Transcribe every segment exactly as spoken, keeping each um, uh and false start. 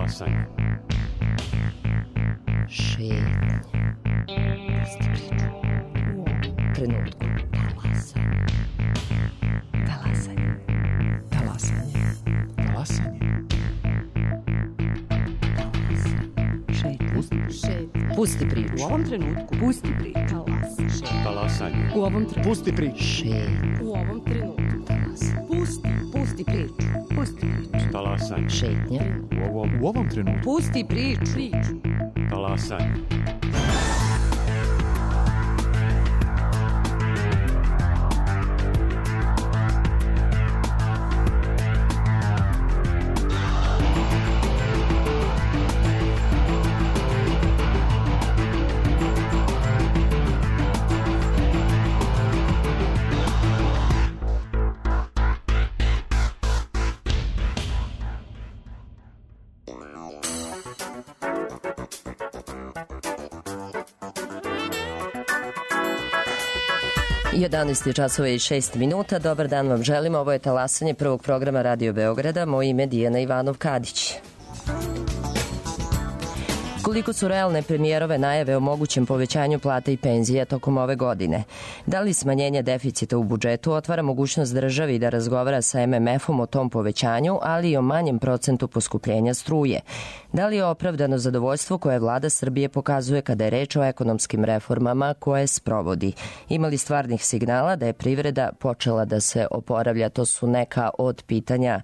Talasanje. Šetnje. Pusti priču. U ovom trenutku. Talasanje. Talasanje. Talasanje. Talasanje. Šetnje. Pusti, Šetnje. Pusti priču. u ovom trenutku. Pusti priču. Talasanje. U ovom trenutku. Pusti priču. Šetnje. U ovom trenutku. Talasanje. Pusti. Pusti priču. Pusti priču. Talasanje. Šetnje. U ovom, U ovom trenutku. Pusti priču. Priču. talasanje. jedanaest časova i šest minuta. Dobar dan vam želim. Ovo je talasanje prvog programa Radio Beograda. Moje ime je Dijana Ivanov-Kadić. Koliko su realne premijerove najave o mogućem povećanju plata i penzija tokom ove godine? Da li smanjenje deficita u budžetu otvara mogućnost državi da razgovara sa M M F-om o tom povećanju, ali i o manjem procentu poskupljenja struje? Da li je opravdano zadovoljstvo koje vlada Srbije pokazuje kada je reč o ekonomskim reformama koje sprovodi? Ima li stvarnih signala da je privreda počela da se oporavlja? To su neka od pitanja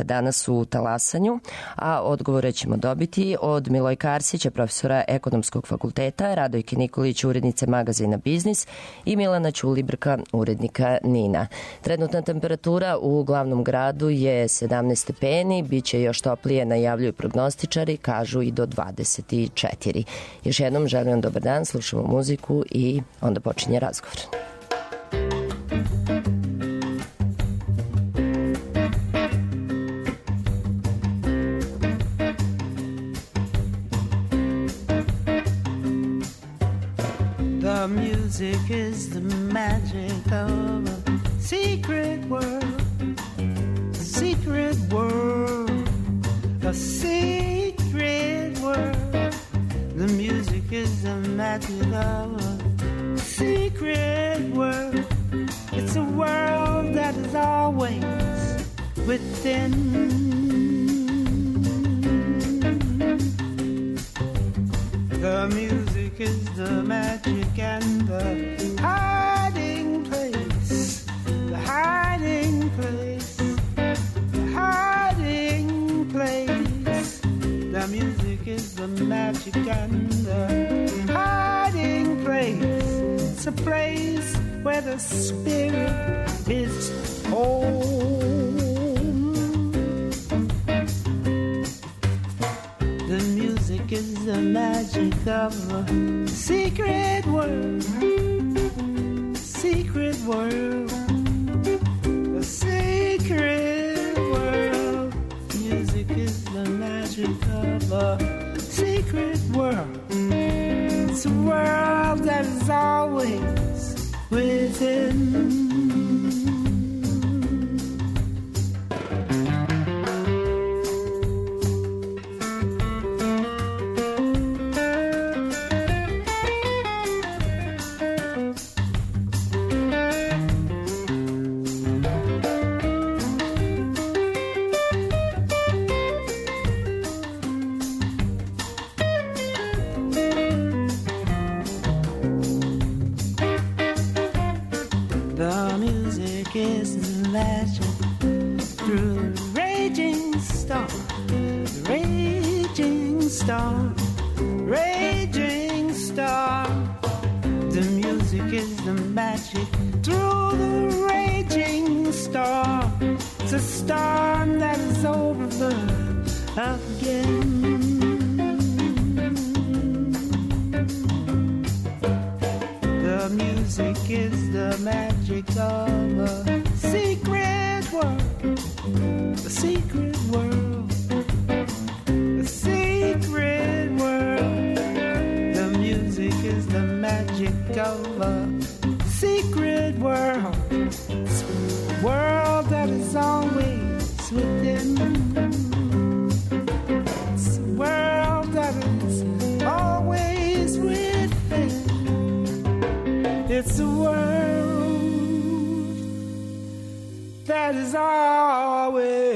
danas u talasanju, a odgovore ćemo dobiti od Milojka Arsića, profesora Ekonomskog fakulteta, Radojke Nikolić, urednice magazina Biznis i Milana Ćulibrka, urednika Nina. Trenutna temperatura u glavnom gradu je sedamnaest stepeni, bit će još toplije, najavljuju prognostičari, kažu i do dvadeset četiri. Još jednom želim vam dobar dan, slušamo muziku i onda počinje razgovor. The music is the magic of a secret world, a secret world, a secret world. The music is the magic of a secret world. It's a world that is always within. The music is the magic and the hiding place, the hiding place, the hiding place. The music is the magic and the hiding place. It's a place where the spirit is home. The music is the magic of a secret world, secret world, a secret world. Music is the magic of a secret world. It's a world that is always within. that is always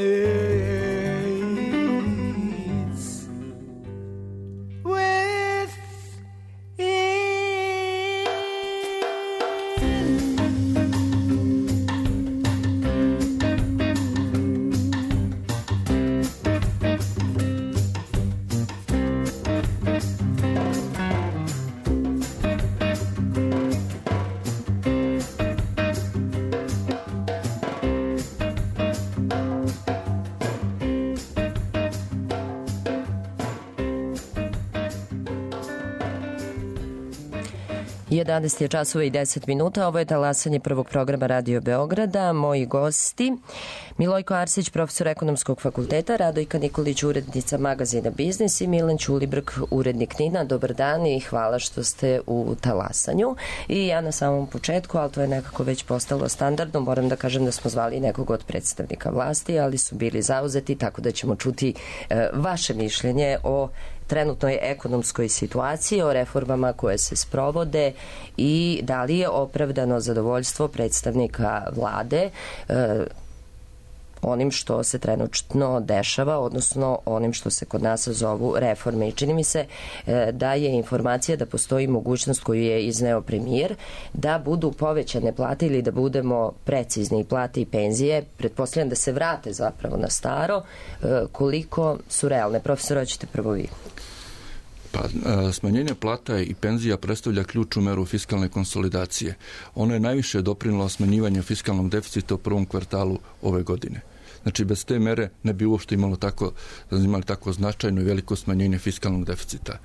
jedanaest je časova i deset minuta. Ovo je talasanje prvog programa Radio Beograda. Moji gosti Milojko Arsić, profesor Ekonomskog fakulteta, Radojka Nikolić, urednica magazina Biznis i Milan Ćulibrk, urednik Nina. Dobar dan i hvala što ste u talasanju. I ja na samom početku, ali to je nekako već postalo standardno, moram da kažem da smo zvali nekog od predstavnika vlasti, ali su bili zauzeti, tako da ćemo čuti e, vaše mišljenje o trenutnoj ekonomskoj situaciji, o reformama koje se sprovode i da li je opravdano zadovoljstvo predstavnika vlade e, onim što se trenutno dešava, odnosno onim što se kod nas zovu reforme. I čini mi se e, da je informacija da postoji mogućnost koju je izneo premijer da budu povećane plate ili da budemo precizni plate i penzije, pretpostavljam da se vrate zapravo na staro, e, koliko su realne. Profesor, hoćete prvo vi? Pa, smanjenje plata i penzija predstavlja ključnu meru fiskalne konsolidacije. Ono je najviše doprinilo smanjivanju fiskalnog deficita u prvom kvartalu ove godine. Znači, bez te mere ne bi uopšte imalo tako, imali tako značajno i veliko smanjenje fiskalnog deficita.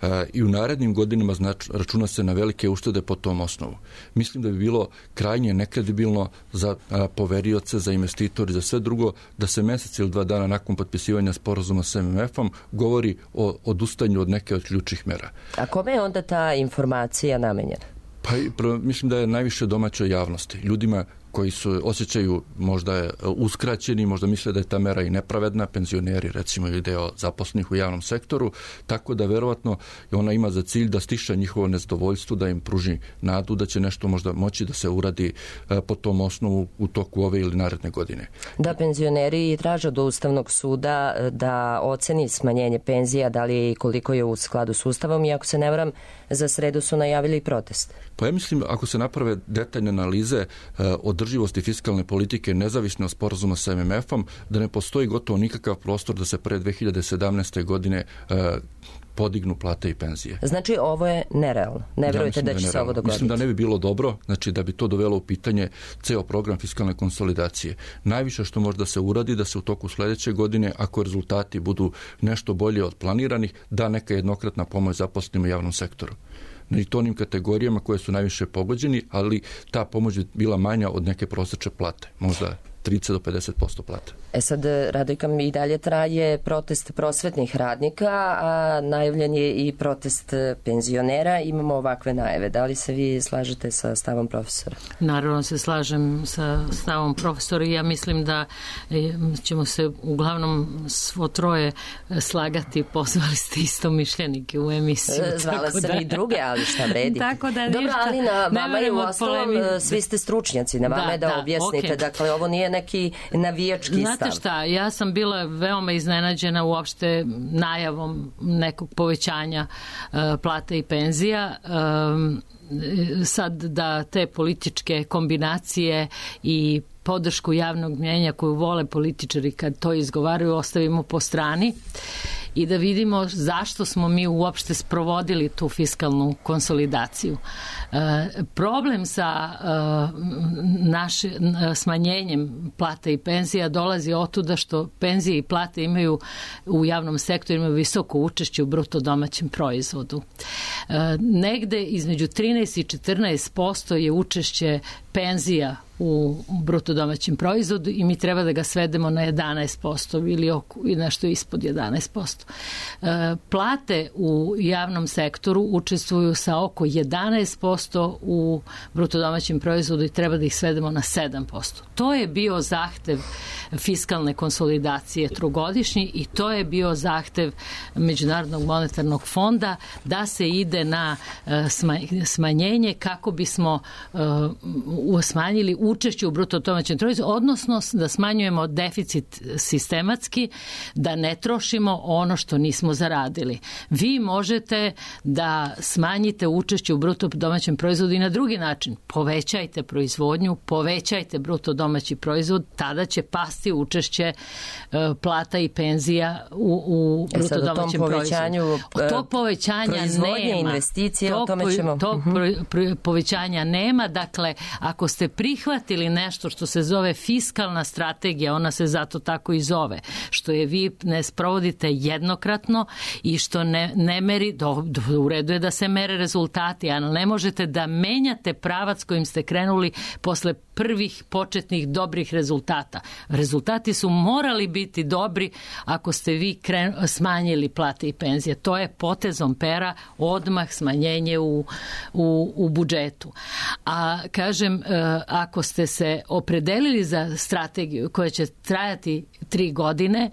E, I u narednim godinama znači, računa se na velike uštede po tom osnovu. Mislim da bi bilo krajnje nekredibilno za a, poverioce, za investitori, za sve drugo, da se mesec ili dva dana nakon potpisivanja sporazuma s M M F-om govori o odustanju od neke od ključnih mera. A kome je onda ta informacija namenjena? Pa, mislim da je najviše domaćoj javnosti. Ljudima koji su osjećaju možda je uskraćeni, možda misle da je ta mera i nepravedna, penzioneri recimo ili deo zaposlenih u javnom sektoru, tako da verovatno ona ima za cilj da stiša njihovo nezadovoljstvo, da im pruži nadu da će nešto možda moći da se uradi po tom osnovu u toku ove ili naredne godine. Da, penzioneri traže do Ustavnog suda da oceni smanjenje penzija, da li je i koliko je u skladu s Ustavom, i ako se ne varam, za sredu su najavili protest. Pa ja mislim, ako se naprave detaljne analize održivosti fiskalne politike nezavisno od sporazuma sa M M F-om, da ne postoji gotovo nikakav prostor da se pre dve hiljade sedamnaeste. godine podignu plate i penzije. Znači, ovo je nerealno. Ne verujete da, da će se ovo dogoditi? Mislim da ne bi bilo dobro, znači da bi to dovelo u pitanje ceo program fiskalne konsolidacije. Najviše što može da se uradi, da se u toku sledeće godine, ako rezultati budu nešto bolje od planiranih, da neka jednokratna pomoć zaposlenim u javnom sektoru. I to onim kategorijama koje su najviše pogođeni, ali ta pomoć bi bila manja od neke prosečne plate. Možda trideset do pedeset posto plata. E sad, Radojka, i dalje traje protest prosvetnih radnika, a najavljen je i protest penzionera. Imamo ovakve najave. Da li se vi slažete sa stavom profesora? Naravno se slažem sa stavom profesora i ja mislim da ćemo se uglavnom svo troje slagati. Pozvali ste isto mišljenike u emisiju. Zvala sam da... i druge, ali šta vredi. Tako da Dobro, ali na vama je u ostalom, svi ste stručnjaci, na vama da, je da, da objasnite. Okay. Dakle, ovo nije neki navijački stav. Znate šta, ja sam bila veoma iznenađena uopšte najavom nekog povećanja uh, plata i penzija. Um, sad da te političke kombinacije i podršku javnog mnjenja koju vole političari kad to izgovaraju ostavimo po strani i da vidimo zašto smo mi uopšte sprovodili tu fiskalnu konsolidaciju. E, problem sa e, naše, smanjenjem plata i penzija dolazi otuda što penzije i plate imaju u javnom sektoru imaju visoko učešće u bruto domaćem proizvodu. E, negde između trinaest i četrnaest posto je učešće penzija u bruto domaćem proizvodu i mi treba da ga svedemo na jedanaest posto ili oko, nešto ispod jedanaest posto. E, plate u javnom sektoru učestvuju sa oko jedanaest posto u bruto domaćem proizvodu i treba da ih svedemo svedemo na sedam posto. To je bio zahtev fiskalne konsolidacije trogodišnji i to je bio zahtev Međunarodnog monetarnog fonda da se ide na smanjenje kako bismo smanjili učešće u bruto domaćem proizvodu, odnosno da smanjujemo deficit sistematski, da ne trošimo ono što nismo zaradili. Vi možete da smanjite učešće u bruto domaćem proizvodu i na drugi način. Povećajte proizvodnju, povećajte bruto domaći proizvod, tada će pasti učešće plata i penzija u, u bruto e domaćem proizvodu. Od tog povećanja nema. Investicije, tog, o tome ćemo... Tog uh-huh. povećanja nema. Dakle, ako ste prihvatili nešto što se zove fiskalna strategija, ona se zato tako i zove, što je vi ne sprovodite jednokratno i što ne, ne meri, do, do, u redu je da se mere rezultati, ali ne možete da menjate pravac kojim ste krenuli posle prvih početnih dobrih rezultata. Rezultati su morali biti dobri ako ste vi kren, smanjili plate i penzije. To je potezom pera odmah smanjenje u, u, u budžetu. A kažem, ako ste se opredelili za strategiju koja će trajati tri godine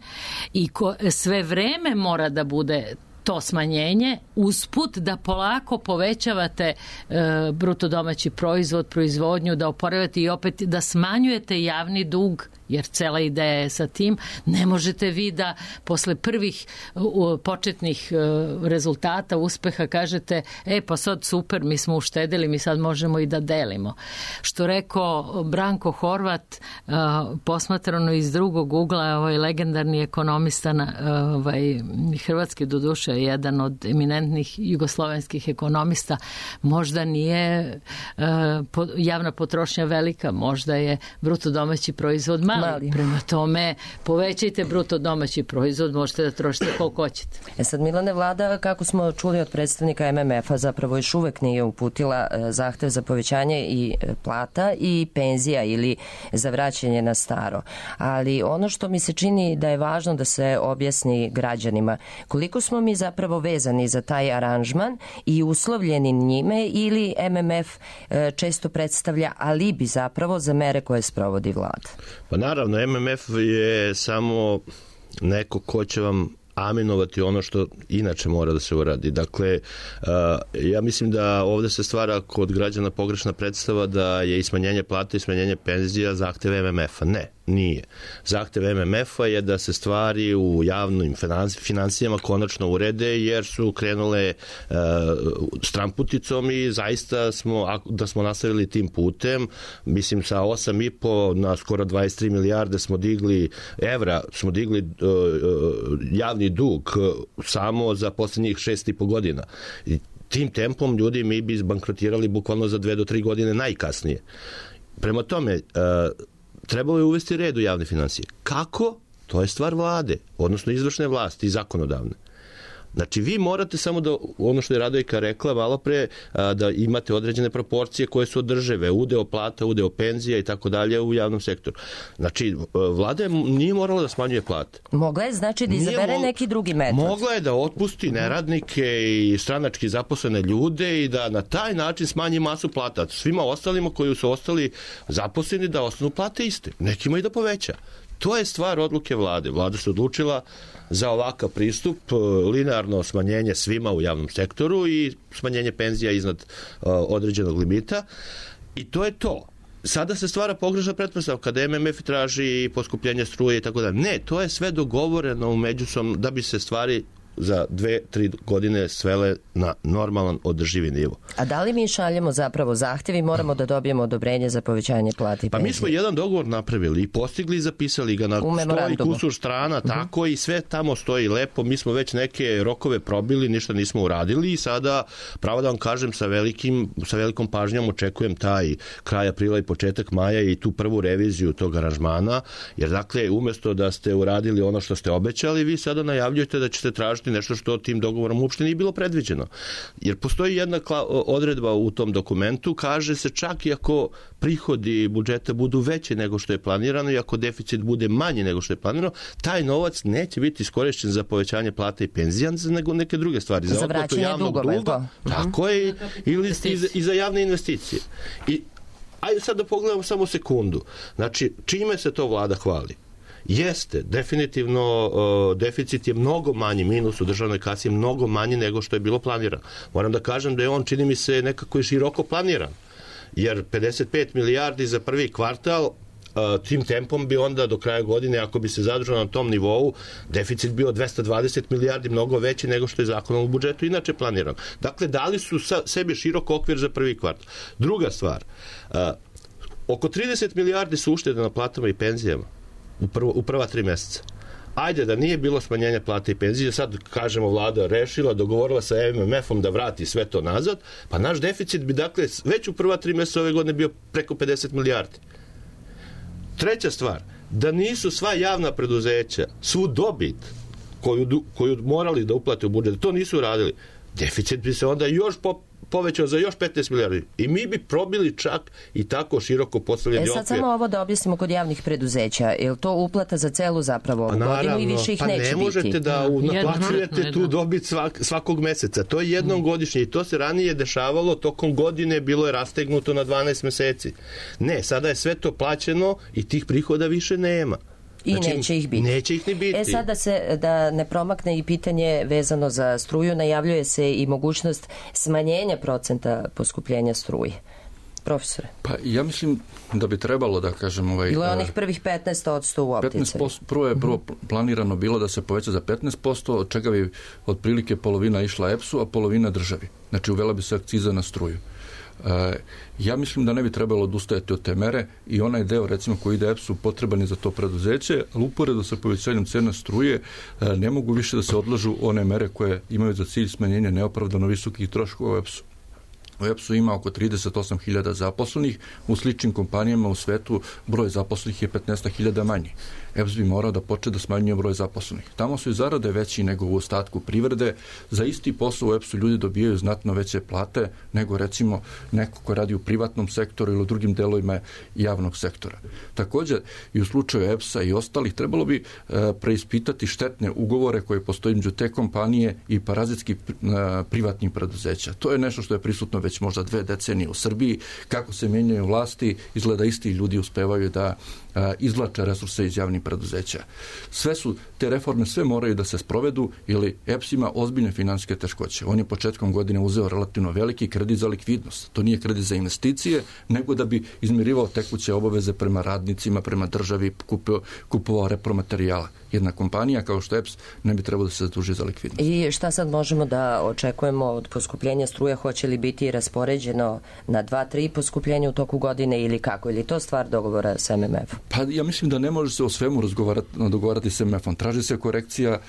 i ko, sve vreme mora da bude to smanjenje, usput da polako povećavate e, bruto domaći proizvod, proizvodnju, da oporavate i opet da smanjujete javni dug, jer cela ideja je sa tim. Ne možete vi da posle prvih uh, početnih uh, rezultata, uspeha kažete, e pa sad super, mi smo uštedili, mi sad možemo i da delimo. Što rekao Branko Horvat, uh, posmatrano iz drugog ugla, ovaj legendarni ekonomista, na, uh, ovaj, hrvatski doduše, jedan od eminentnih jugoslovenskih ekonomista, možda nije uh, po, javna potrošnja velika, možda je bruto domaći proizvod mali. Mali. Prema tome, povećajte bruto domaći proizvod, možete da trošite koliko hoćete. E sad, Milane, vlada, kako smo čuli od predstavnika M M F-a, zapravo još uvek nije uputila zahtev za povećanje i plata i penzija ili za vraćanje na staro. Ali ono što mi se čini da je važno da se objasni građanima, koliko smo mi zapravo vezani za taj aranžman i uslovljeni njime, ili M M F često predstavlja alibi zapravo za mere koje sprovodi vlada? Pa naravno, M M F je samo neko ko će vam aminovati ono što inače mora da se uradi. Dakle, ja mislim da ovde se stvara kod građana pogrešna predstava da je i smanjenje plata i smanjenje penzija zahtev M M F-a. Ne, nije. Zahtev M M F-a je da se stvari u javnim financijama konačno urede, jer su krenule uh, stramputicom i zaista smo, da smo nastavili tim putem, mislim sa osam i po na skoro dvadeset tri milijarde smo digli evra, smo digli uh, uh, javni dug uh, samo za poslednjih šest i po godina. I tim tempom ljudi mi bi bankrotirali bukvalno za dve do tri godine najkasnije. Prema tome, uh, trebalo je uvesti red u javne financije. Kako? To je stvar vlade, odnosno izvršne vlasti i zakonodavne. Znači, vi morate samo da, ono što je Radojka rekla malo pre, da imate određene proporcije koje su održive, udeo plata, udeo penzija i tako dalje u javnom sektoru. Znači, vlada nije morala da smanjuje plate. Mogla je, znači, da izabere mo- neki drugi metod. Mogla je da otpusti neradnike i stranački zaposlene ljude i da na taj način smanji masu plata. Svima ostalima koji su ostali zaposleni da ostanu plate iste. Nekima i da poveća. To je stvar odluke vlade. Vlada se odlučila za ovakav pristup, linearno smanjenje svima u javnom sektoru i smanjenje penzija iznad uh, određenog limita. I to je to. Sada se stvara pogrešna pretpostavka kada M M F traži poskupljenje struje i tako da. Ne, to je sve dogovoreno u međusobno da bi se stvari za dve, tri godine svele na normalan održivi nivo. A da li mi šaljemo zapravo zahtjev i moramo da dobijemo odobrenje za povećanje plata i pa penzije? Mi smo jedan dogovor napravili i postigli i zapisali ga na sto i kusur strana, uh-huh. tako i sve tamo stoji lepo. Mi smo već neke rokove probili, ništa nismo uradili i sada, pravo da vam kažem, sa, velikim, sa velikom pažnjom očekujem taj kraj aprila i početak maja i tu prvu reviziju tog aranžmana, jer dakle, umesto da ste uradili ono što ste obećali, vi sada najavljujete da ćete tražiti nešto što tim dogovorom uopšte nije bilo predviđeno. Jer postoji jedna odredba u tom dokumentu, kaže se čak i ako prihodi budžeta budu veće nego što je planirano i ako deficit bude manji nego što je planirano, taj novac neće biti iskorišćen za povećanje plata i penzija, nego neke druge stvari. Za, za vraćanje dugova. Duga, tako je, ili i za, i za javne investicije. I ajde sad da pogledamo samo sekundu. Znači, čime se to vlada hvali? Jeste, definitivno uh, deficit je mnogo manji, minus u državnoj kasi je mnogo manji nego što je bilo planirano. Moram da kažem da je on, čini mi se, nekako i široko planiran. Jer pedeset pet milijardi za prvi kvartal, uh, tim tempom bi onda do kraja godine, ako bi se zadržao na tom nivou, deficit bio dvesta dvadeset milijardi, mnogo veći nego što je zakonom u budžetu inače planiran. Dakle, dali su sa, sebi širok okvir za prvi kvartal. Druga stvar, uh, oko trideset milijardi su uštede na platama i penzijama u, prvo, u prva tri meseca. Ajde da nije bilo smanjenja plata i penzije, sad kažemo vlada rešila, dogovorila sa M M F-om da vrati sve to nazad, pa naš deficit bi dakle već u prva tri meseca ove godine bio preko pedeset milijardi. Treća stvar, da nisu sva javna preduzeća, svu dobit koju, koju morali da uplate u budžet, to nisu uradili, deficit bi se onda još po, povećao za još petnaest milijardi. I mi bi probili čak i tako široko postavljeni okvir. E sad samo ovo da objasnimo kod javnih preduzeća. Je li to uplata za celu zapravo ovu godinu i više ih pa neće biti? Pa ne možete da naplaćujete tu dobit svak, svakog meseca. To je jednom mm. godišnje i to se ranije dešavalo tokom godine, bilo je rastegnuto na dvanaest meseci. Ne, sada je sve to plaćeno i tih prihoda više nema. I znači, neće ih biti. Neće ih ni biti. E sada se, da ne promakne i pitanje vezano za struju, najavljuje se i mogućnost smanjenja procenta poskupljenja struje. Profesore? Pa ja mislim da bi trebalo da kažem... Ovaj, bilo je onih prvih petnaest posto u opticaju. petnaest posto, prvo je prvo planirano bilo da se poveća za petnaest posto, od čega bi otprilike polovina išla E P S-u, a polovina državi. Znači uvela bi se akciza na struju. E, ja mislim da ne bi trebalo odustajati od te mere i onaj deo recimo koji ide E P S-u potreban je za to preduzeće, ali uporedo sa povećanjem cena struje e, ne mogu više da se odlažu one mere koje imaju za cilj smanjenje neopravdano visokih troškova u E P S-u. U E P S-u ima oko trideset osam hiljada zaposlenih, u sličnim kompanijama u svetu broj zaposlenih je petnaest hiljada manji. E P S bi morao da počne da smanjuje broj zaposlenih. Tamo su i zarade veći nego u ostatku privrede. Za isti posao u E P S-u ljudi dobijaju znatno veće plate nego recimo neko ko radi u privatnom sektoru ili u drugim delovima javnog sektora. Također i u slučaju E P S-a i ostalih trebalo bi e, preispitati štetne ugovore koje postoje među te kompanije i parazitski e, privatnih preduzeća. To je nešto što je prisutno već možda dve decenije u Srbiji. Kako se menjaju vlasti, izgleda isti ljudi uspevaju da a, izvlače resurse iz javnih preduzeća. Sve su, te reforme sve moraju da se sprovedu ili E P S ima ozbiljne finansijske teškoće. On je početkom godine uzeo relativno veliki kredit za likvidnost. To nije kredit za investicije, nego da bi izmirivao tekuće obaveze prema radnicima, prema državi, kupio, kupovao repromaterijala. Jedna kompanija kao što E P S ne bi trebalo da se zaduži za likvidnost. I šta sad možemo da očekujemo od poskupljenja struje? Hoće li biti raspoređeno na dva tri poskupljenja u toku godine ili kako? Ili to stvar dogovora sa M M F-om? Pa ja mislim da ne može se o svemu razgovarati, dogovarati sa M M F-om. Traži se korekcija,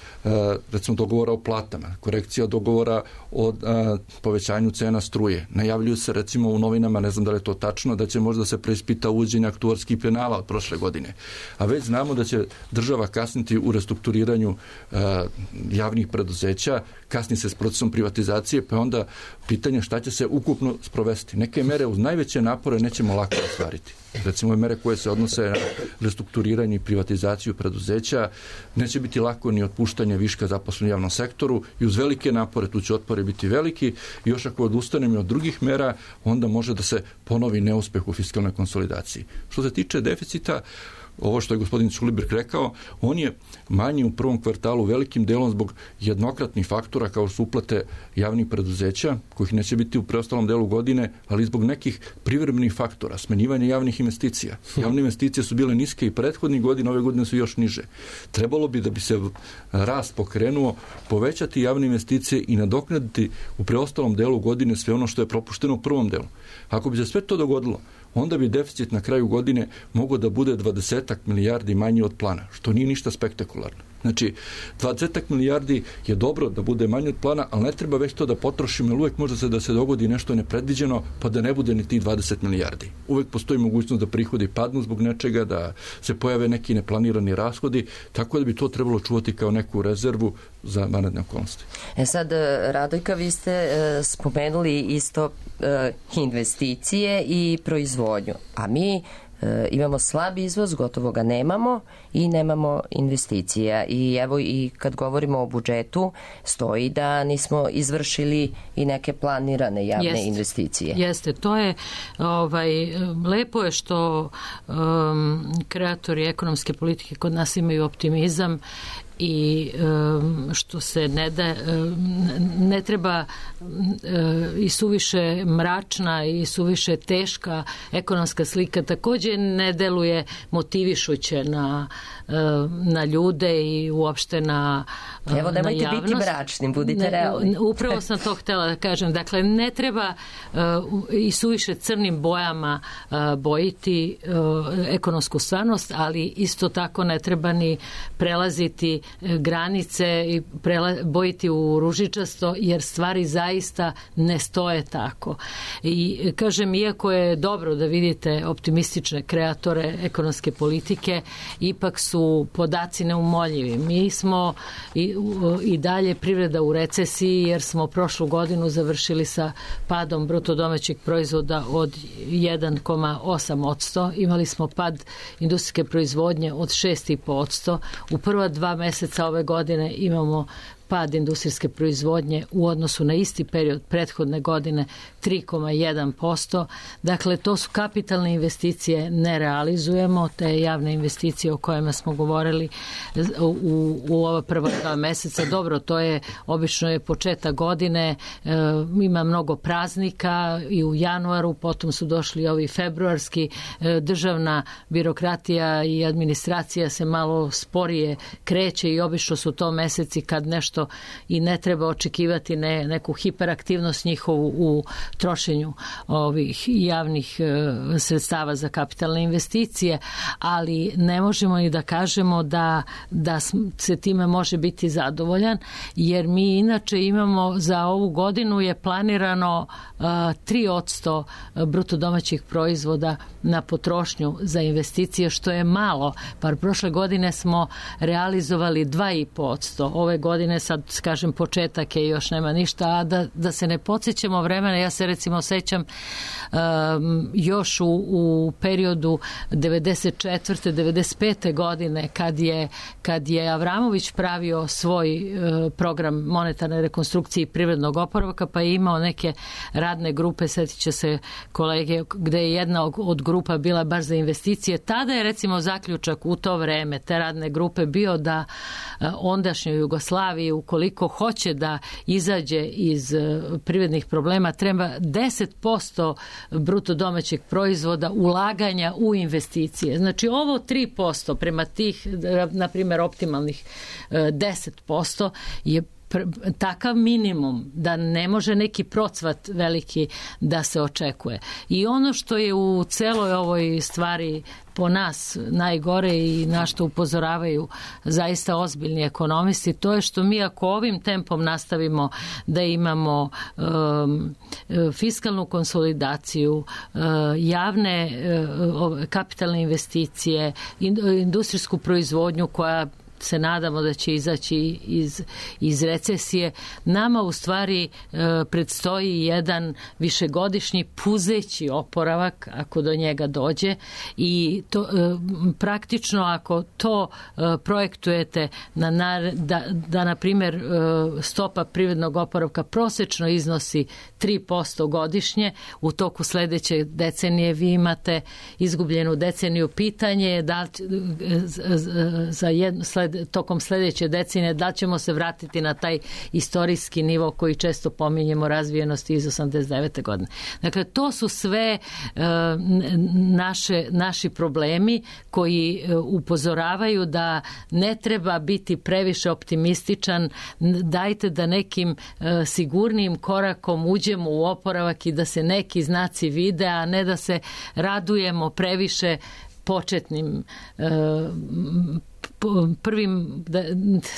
recimo dogovora o platama, korekcija dogovora o povećanju cena struje. Najavljuju se recimo u novinama, ne znam da li je to tačno, da će možda se preispita uvođenje aktuarskih penala od prošle godine. A već znamo da će država kasniti u restrukturiranju uh, javnih preduzeća, kasni se s procesom privatizacije, pa onda pitanje šta će se ukupno sprovesti. Neke mere uz najveće napore nećemo lako ostvariti. Recimo mere koje se odnose na restrukturiranje i privatizaciju preduzeća, neće biti lako ni otpuštanje viška zaposlenih u javnom sektoru i uz velike napore, tu će otpori biti veliki, i još ako odustanemo od drugih mera, onda može da se ponovi neuspeh u fiskalnoj konsolidaciji. Što se tiče deficita, ovo što je gospodin Ćulibrk rekao, on je manji u prvom kvartalu velikim delom zbog jednokratnih faktora kao su uplate javnih preduzeća, kojih neće biti u preostalom delu godine, ali zbog nekih privremenih faktora, smenjivanja javnih investicija. Javne investicije su bile niske i prethodnih godina, ove godine su još niže. Trebalo bi da bi se rast pokrenuo, povećati javne investicije i nadoknaditi u preostalom delu godine sve ono što je propušteno u prvom delu. Ako bi se sve to dogodilo, onda bi deficit na kraju godine mogao da bude dvadeset milijardi manji od plana, što nije ništa spektakularno. Znači, dvadeset milijardi je dobro da bude manje od plana, ali ne treba već to da potrošimo, jer uvek može se da se dogodi nešto nepredviđeno, pa da ne bude ni tih dvadeset milijardi. Uvek postoji mogućnost da prihodi padnu zbog nečega, da se pojave neki neplanirani rashodi, tako da bi to trebalo čuvati kao neku rezervu za vanredne okolnosti. E sad, Radojka, vi ste e, spomenuli isto e, investicije i proizvodnju, a mi E, imamo slab izvoz, gotovo ga nemamo i nemamo investicija. I evo i kad govorimo o budžetu, stoji da nismo izvršili i neke planirane javne Jest. investicije. Jeste, to je ovaj, lepo je što um, kreatori ekonomske politike kod nas imaju optimizam i um, što se ne da um, ne treba um, i suviše mračna i suviše teška ekonomska slika takođe ne deluje motivišuće na, um, na ljude i uopšte na um, Evo, nemojte biti mračni, budite realni. Upravo sam to htela da kažem. Dakle, ne treba uh, i suviše crnim bojama uh, bojiti uh, ekonomsku stvarnost, ali isto tako ne treba ni prelaziti granice i prela, bojiti u ružičasto, jer stvari zaista ne stoje tako. I kažem, iako je dobro da vidite optimistične kreatore ekonomske politike, ipak su podaci neumoljivi. Mi smo i, i dalje privreda u recesiji, jer smo prošlu godinu završili sa padom bruto domaćeg proizvoda od jedan zarez osam posto. Imali smo pad industrijske proizvodnje od šest zarez pet posto. U prva dva meseca ove godine imamo pad industrijske proizvodnje u odnosu na isti period prethodne godine tri zarez jedan posto. Dakle, to su kapitalne investicije, ne realizujemo te javne investicije o kojima smo govorili u, u ova prva dva meseca. Dobro, to je obično je početak godine, e, ima mnogo praznika i u januaru, potom su došli ovi februarski, e, državna birokratija i administracija se malo sporije kreće i obično su to meseci kad nešto i ne treba očekivati ne, neku hiperaktivnost njihovu u trošenju ovih javnih e, sredstava za kapitalne investicije, ali ne možemo i da kažemo da, da se time može biti zadovoljan, jer mi inače imamo za ovu godinu je planirano e, tri posto bruto domaćih proizvoda na potrošnju za investicije, što je malo. Par prošle godine smo realizovali dva zarez pet posto. Ove godine sad kažem početak je, još nema ništa, a da, da se ne podsjećamo vremena, ja se recimo sećam um, još u, u periodu devedeset četvrte devedeset pete godine kad je, kad je Avramović pravio svoj uh, program monetarne rekonstrukcije i privrednog oporavka, pa je imao neke radne grupe, sjetit će se kolege, gde je jedna od grupa bila baš za investicije. Tada je recimo zaključak u to vreme te radne grupe bio da uh, ondašnjoj Jugoslaviji, ukoliko hoće da izađe iz privrednih problema, treba deset posto bruto domaćeg proizvoda ulaganja u investicije. Znači ovo tri posto prema tih, na primjer, optimalnih deset posto je takav minimum da ne može neki procvat veliki da se očekuje. I ono što je u celoj ovoj stvari po nas najgore i na što upozoravaju zaista ozbiljni ekonomisti, to je što mi ako ovim tempom nastavimo da imamo um, fiskalnu konsolidaciju, uh, javne uh, kapitalne investicije, industrijsku proizvodnju koja se nadamo da će izaći iz, iz recesije, nama u stvari e, predstoji jedan višegodišnji puzeći oporavak ako do njega dođe i to, e, praktično ako to e, projektujete na, na, da, da na primjer e, stopa privrednog oporavka prosečno iznosi tri posto godišnje, u toku sledeće decenije vi imate izgubljenu deceniju. Pitanje je da za jedno sled, tokom sledeće decenije da ćemo se vratiti na taj istorijski nivo koji često pominjemo razvijenosti iz osamdeset devete godine. Dakle, to su sve e, naše, naši problemi koji e, upozoravaju da ne treba biti previše optimističan, dajte da nekim e, sigurnim korakom uđemo u oporavak i da se neki znaci vide, a ne da se radujemo previše početnim e, prvim, da,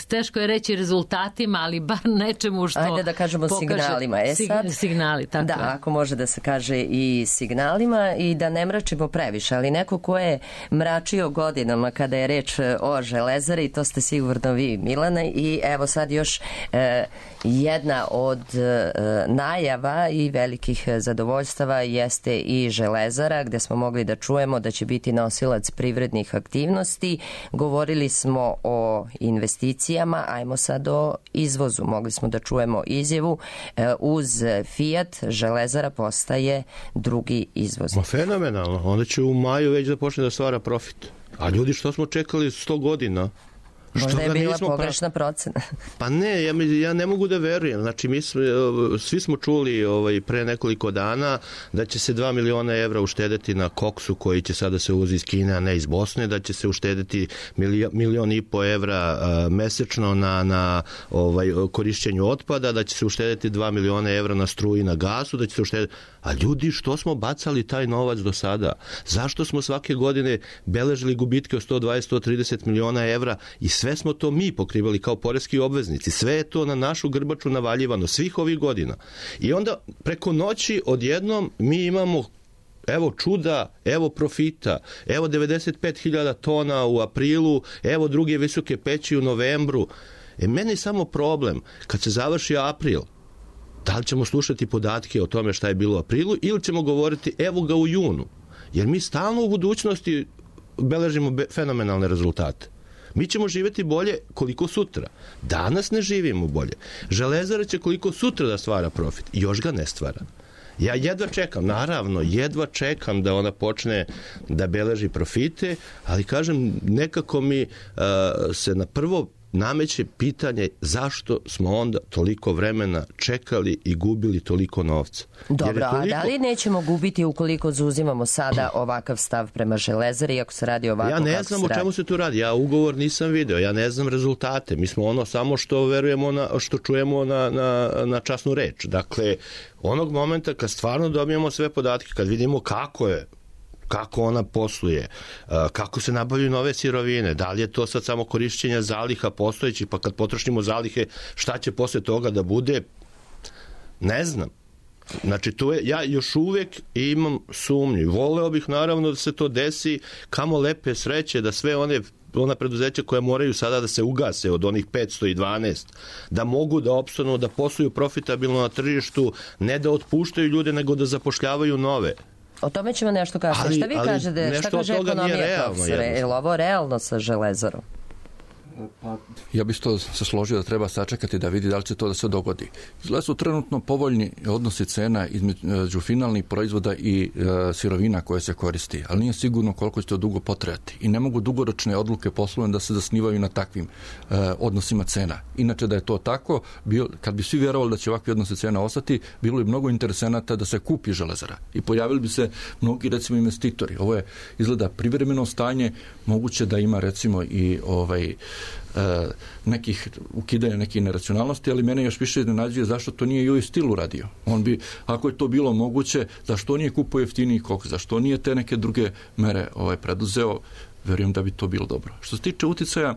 teško je reći rezultatima, ali bar nečemu što Ajde da kažemo pokaže, signalima. E sad, signali, tako da, je. ako može da se kaže i signalima i da ne mračimo previše, ali neko ko je mračio godinama kada je reč o Železari, to ste sigurno vi, Milana, i evo sad još e, jedna od e, najava i velikih zadovoljstava jeste i Železara, gde smo mogli da čujemo da će biti nosilac privrednih aktivnosti. Govorili smo o investicijama, ajmo sad o izvozu. Mogli smo da čujemo izjavu, e, uz Fiat Železara postaje drugi izvoznik. Ma fenomenalno, onda će u maju već da počne da stvara profit. A ljudi, što smo čekali sto godina? Možda je bila pogrešna procena. Pa ne, ja, ja ne mogu da verujem. Znači, mi smo, svi smo čuli ovaj, pre nekoliko dana da će se dva miliona evra uštedeti na koksu koji će sada se uvozi iz Kine, a ne iz Bosne, da će se uštedeti milion, milion i po evra a, mesečno na, na ovaj, korišćenju otpada, da će se uštedeti dva miliona evra na struji, na gasu, da će se uštedeti... A ljudi, što smo bacali taj novac do sada? Zašto smo svake godine beležili gubitke od sto dvadeset do sto trideset miliona evra i sve smo to mi pokrivali kao poreski obveznici? Sve je to na našu grbaču navaljivano svih ovih godina. I onda preko noći odjednom mi imamo evo čuda, evo profita, evo devedeset pet hiljada tona u aprilu, evo druge visoke peći u novembru. E, meni je samo problem, kad se završi april, da li ćemo slušati podatke o tome šta je bilo u aprilu ili ćemo govoriti evo ga u junu. Jer mi stalno u budućnosti beležimo be- fenomenalne rezultate. Mi ćemo živjeti bolje koliko sutra. Danas ne živimo bolje. Železara će koliko sutra da stvara profit. Još ga ne stvara. Ja jedva čekam, naravno, jedva čekam da ona počne da beleži profite, ali kažem, nekako mi uh, se na prvo nameće pitanje zašto smo onda toliko vremena čekali i gubili toliko novca. Dobro, toliko... a da li nećemo gubiti ukoliko zauzimamo sada ovakav stav prema Železari, ako se radi ovako kako se radi? Ja ne znam o čemu se tu radi. Ja ugovor nisam video, ja ne znam rezultate. Mi smo ono samo što verujemo, na, što čujemo na, na, na časnu reč. Dakle, onog momenta kad stvarno dobijemo sve podatke, kad vidimo kako je, kako ona posluje, kako se nabavljaju nove sirovine, da li je to sad samo korišćenja zaliha postojećih, pa kad potrošimo zalihe, šta će posle toga da bude, ne znam. Znači, to je, ja još uvek imam sumnju. Voleo bih naravno da se to desi, kamo lepe sreće, da sve one ona preduzeća koja moraju sada da se ugase od onih petsto dvanaest, da mogu da opstanu, da posluju profitabilno na tržištu, ne da otpuštaju ljude, nego da zapošljavaju nove. O tome ćemo nešto kasnije. Šta vi kažete? Šta kaže ekonomija, profesore? Je li ovo realno sa Železarom? Pa, ja bih to se složio da treba sačekati da vidi da li će to da se dogodi. Izgleda su trenutno povoljni odnosi cena između finalnih proizvoda i e, sirovina koje se koristi, ali nije sigurno koliko će to dugo potrajati. I ne mogu dugoročne odluke poslovne da se zasnivaju na takvim e, odnosima cena. Inače da je to tako, bio, kad bi svi vjerovali da će ovakvi odnosi cena ostati, bilo bi mnogo interesenata da se kupi Železara. I pojavili bi se mnogi, recimo, investitori. Ovo je, izgleda, privremeno stanje, moguće da ima, recimo, i ovaj nekih ukidanja nekih neracionalnosti, ali mene još više iznenađuje zašto to nije U S Steel uradio. On bi, ako je to bilo moguće, zašto nije kupio jeftiniji koks, zašto nije te neke druge mere ovaj preduzeo, verujem da bi to bilo dobro. Što se tiče uticaja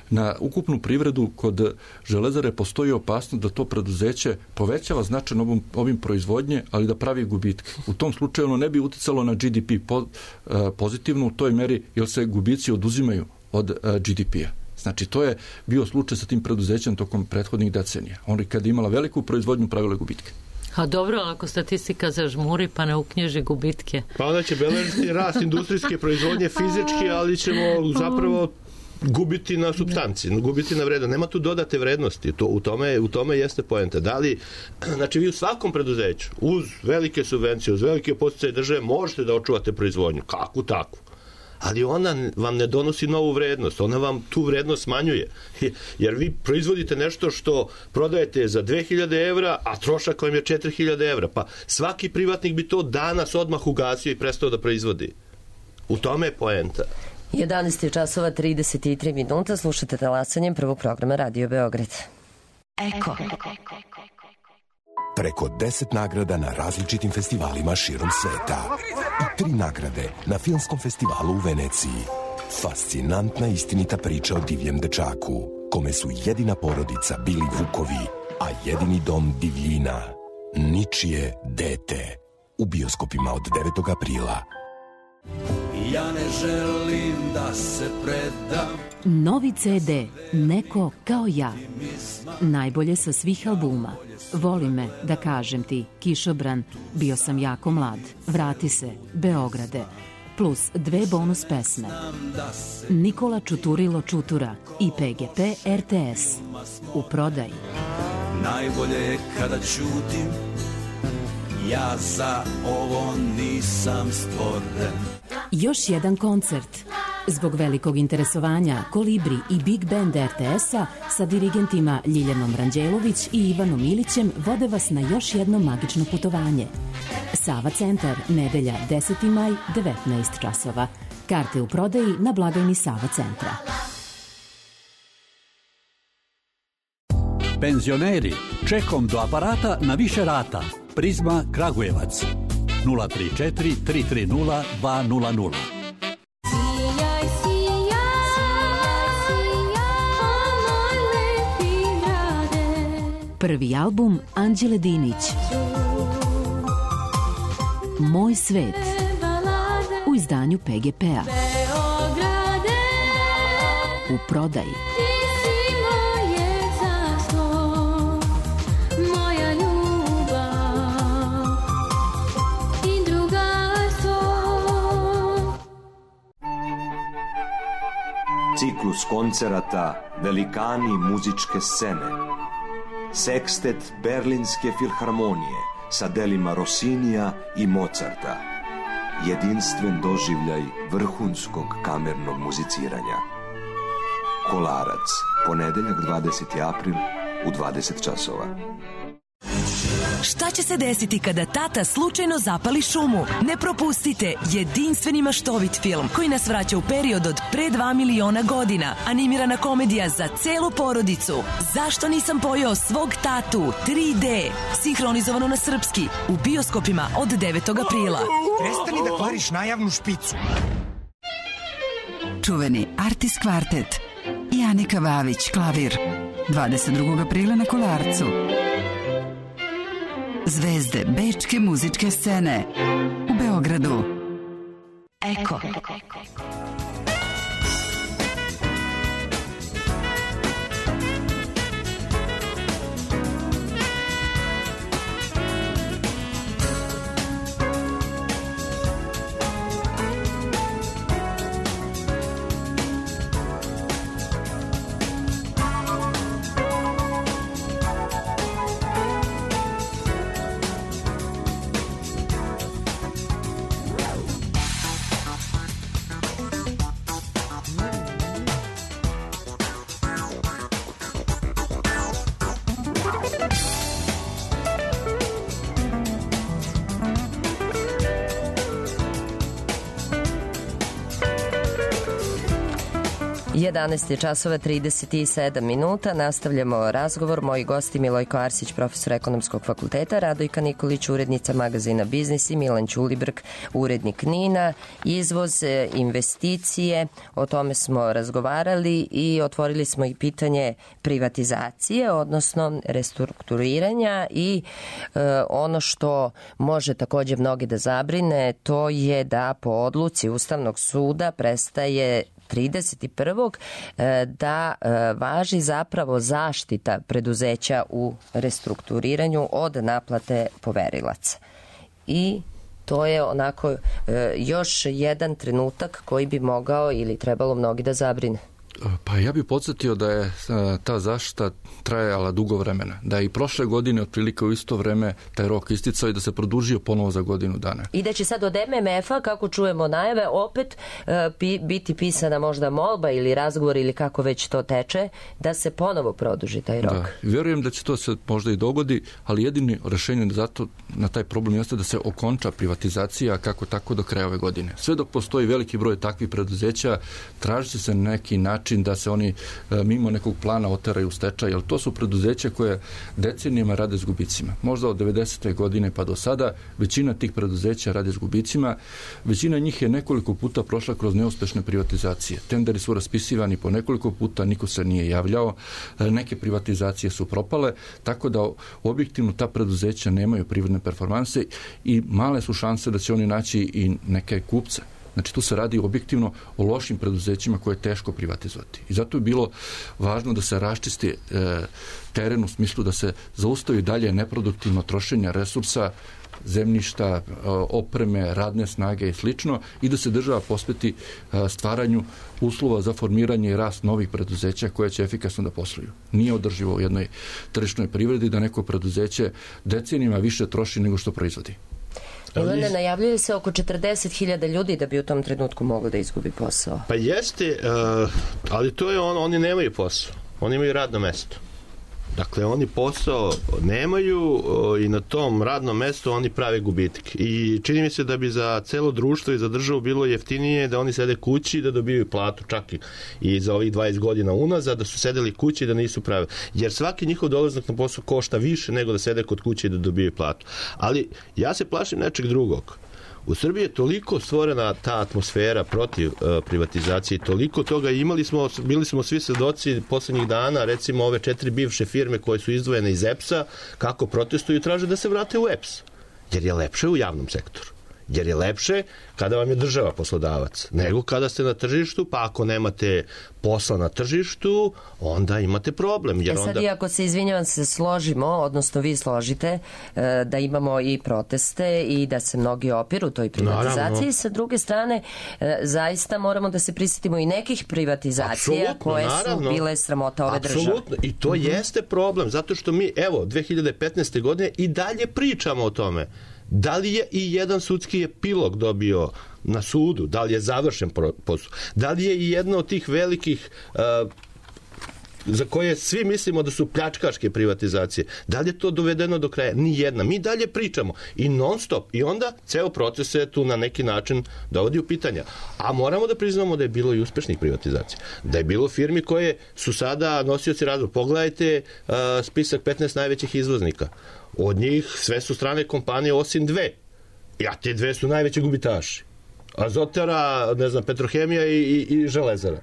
na ukupnu privredu, kod Železare postoji opasnost da to preduzeće povećava značajno obim, obim proizvodnje, ali da pravi gubitke. U tom slučaju ono ne bi uticalo na G D P po, pozitivno u toj meri, jer se gubici oduzimaju od G D P-a. Znači, to je bio slučaj sa tim preduzećem tokom prethodnih decenija. Oni kad je imala veliku proizvodnju, pravile gubitke. A dobro, ako statistika zažmuri pa ne uknjiži gubitke. Pa onda će beležiti rast industrijske proizvodnje fizički, ali ćemo zapravo gubiti na supstanci, gubiti na vrednost. Nema tu dodate vrednosti. To, u, tome, u tome jeste poenta. Da li, znači, vi u svakom preduzeću, uz velike subvencije, uz velike podsticaje države, možete da očuvate proizvodnju. Kakvu takvu? Ali ona vam ne donosi novu vrednost, ona vam tu vrednost smanjuje. Jer vi proizvodite nešto što prodajete za dve hiljade evra, a trošak vam je četiri hiljade evra. Pa svaki privatnik bi to danas odmah ugasio i prestao da proizvodi. U tome je poenta. jedanaest časova trideset tri minuta, slušate Talasanjem prvog programa Radio Beograd. Eko. Preko deset nagrada na različitim festivalima širom sveta i tri nagrade na Filmskom festivalu u Veneciji. Fascinantna istinita priča o divljem dečaku, kome su jedina porodica bili vukovi, a jedini dom divljina, ničije dete. U bioskopima od devetog aprila. Ja ne želim da se predam. Novi ce de, Neko kao ja. Najbolje sa svih albuma. Voli me, da kažem ti, Kišobran, Bio sam jako mlad, Vrati se, Beograde, plus dve bonus pesme. Nikola Čuturilo Čutura i pe ge pe er te es. U prodaji. Najbolje je kada ćutim, ja za ovo nisam stvoren. Još jedan koncert. Zbog velikog interesovanja Kolibri i Big Band er te es-a sa dirigentima Ljiljanom Ranđelović i Ivanom Ilićem vode vas na još jedno magično putovanje. Sava centar, nedelja deseti maj, devetnaest časova. Karte u prodaji na blagajni Sava centra. Penzioneri, čekom do aparata na više rata. Prizma Kragujevac. nula tri četiri tri tri nula dva nula nula. Prvi album Anđele Dinić. Moj svet. U izdanju pe ge pe-a. U prodaji. Ciklus koncerata Velikani muzičke scene. Sekstet Berlinske filharmonije sa delima Rossinija i Mozarta. Jedinstven doživljaj vrhunskog kamernog muziciranja. Kolarac, ponedeljak dvadeseti april u dvadeset časova. Šta će se desiti kada tata slučajno zapali šumu? Ne propustite jedinstveni maštovit film koji nas vraća u period od pre dva miliona godina. Animirana komedija za celu porodicu. Zašto nisam pojeo svog tatu? tri de. Sinhronizovano na srpski. U bioskopima od devetog aprila. Prestani da kvariš najavnu špicu. Čuveni Artis kvartet i Anika Vavić klavir. dvadeset drugog aprila na Kolarcu. Zvezde bečke muzičke scene u Beogradu. Eko. jedanaest časova trideset sedam minuta. Nastavljamo razgovor. Moji gosti Milojko Arsić, profesor Ekonomskog fakulteta, Radojka Nikolić, urednica magazina Biznis i Milan Ćulibrk, urednik Nina. Izvoz, investicije, o tome smo razgovarali i otvorili smo i pitanje privatizacije, odnosno restrukturiranja i e, ono što može takođe mnogi da zabrine, to je da po odluci Ustavnog suda prestaje trideset prvog da važi zapravo zaštita preduzeća u restrukturiranju od naplate poverilaca. I to je onako još jedan trenutak koji bi mogao ili trebalo mnogi da zabrine. Pa ja bih podsjetio da je ta zaštita trajala dugo vremena. Da je i prošle godine otprilike u isto vreme taj rok isticao i da se produžio ponovo za godinu dana. I da će sad od em em ef-a, kako čujemo najave, opet pi, biti pisana možda molba ili razgovor ili kako već to teče, da se ponovo produži taj rok. Da, vjerujem da će to se možda i dogodi, ali jedini rešenje zato na taj problem jeste da se okonča privatizacija kako tako do kraja ove godine. Sve dok postoji veliki broj takvih preduzeća, traži se neki način način da se oni mimo nekog plana oteraju u stečaj, jer to su preduzeća koje decenijama rade s gubicima. Možda od devedesete godine pa do sada većina tih preduzeća rade s gubicima. Većina njih je nekoliko puta prošla kroz neuspešne privatizacije. Tenderi su raspisivani po nekoliko puta, niko se nije javljao, neke privatizacije su propale, tako da objektivno ta preduzeća nemaju privredne performanse i male su šanse da će oni naći i neke kupce. Znači, tu se radi objektivno o lošim preduzećima koje je teško privatizovati. I zato je bilo važno da se raščisti e, teren u smislu da se zaustavi dalje neproduktivno trošenje resursa, zemljišta, opreme, radne snage i slično, i da se država posveti stvaranju uslova za formiranje i rast novih preduzeća koje će efikasno da posluju. Nije održivo u jednoj tržišnoj privredi da neko preduzeće decenijima više troši nego što proizvodi. Ivane, najavljuje se oko četrdeset hiljada ljudi da bi u tom trenutku moglo da izgubi posao. Pa jeste, uh, ali to je ono, oni nemaju posao. Oni imaju radno mesto. Dakle, oni posao nemaju i na tom radnom mestu oni prave gubitke. I čini mi se da bi za celo društvo i za državu bilo jeftinije da oni sede kući i da dobijaju platu, čak i, i za ovih dvadeset godina unazad, da su sedeli kući i da nisu pravili. Jer svaki njihov dolazak na posao košta više nego da sede kod kuće i da dobijaju platu. Ali ja se plašim nečeg drugog. U Srbiji je toliko stvorena ta atmosfera protiv uh, privatizacije, toliko toga imali smo, bili smo svi svedoci poslednjih dana, recimo ove četiri bivše firme koje su izdvojene iz E P S-a, kako protestuju i traže da se vrate u E P S. Jer je lepše u javnom sektoru. Jer je lepše kada vam je država poslodavac, nego kada ste na tržištu, pa ako nemate posla na tržištu, onda imate problem. Jer e sad, onda... i ako se, izvinjavam se, složimo, odnosno vi složite, da imamo i proteste i da se mnogi opiru toj privatizaciji, naravno. Sa druge strane, zaista moramo da se prisjetimo i nekih privatizacija apsolutno, koje naravno. Su bile sramota ove države. Apsolutno, i to mm-hmm. jeste problem, zato što mi, evo, dve hiljade petnaeste. godine i dalje pričamo o tome. Da li je i jedan sudski epilog dobio na sudu? Da li je završen posao? Da li je i jedna od tih velikih uh, za koje svi mislimo da su pljačkaške privatizacije, da li je to dovedeno do kraja? Ni jedna. Mi dalje pričamo i non stop. I onda ceo proces se tu na neki način dovodi u pitanja. A moramo da priznamo da je bilo i uspešnih privatizacija. Da je bilo firmi koje su sada nosioci razvoja. Pogledajte uh, spisak petnaest najvećih izvoznika. Od njih sve su strane kompanije osim dve. A te dve su najveći gubitaši. Azotara, ne znam, Petrohemija i, i, i Železara.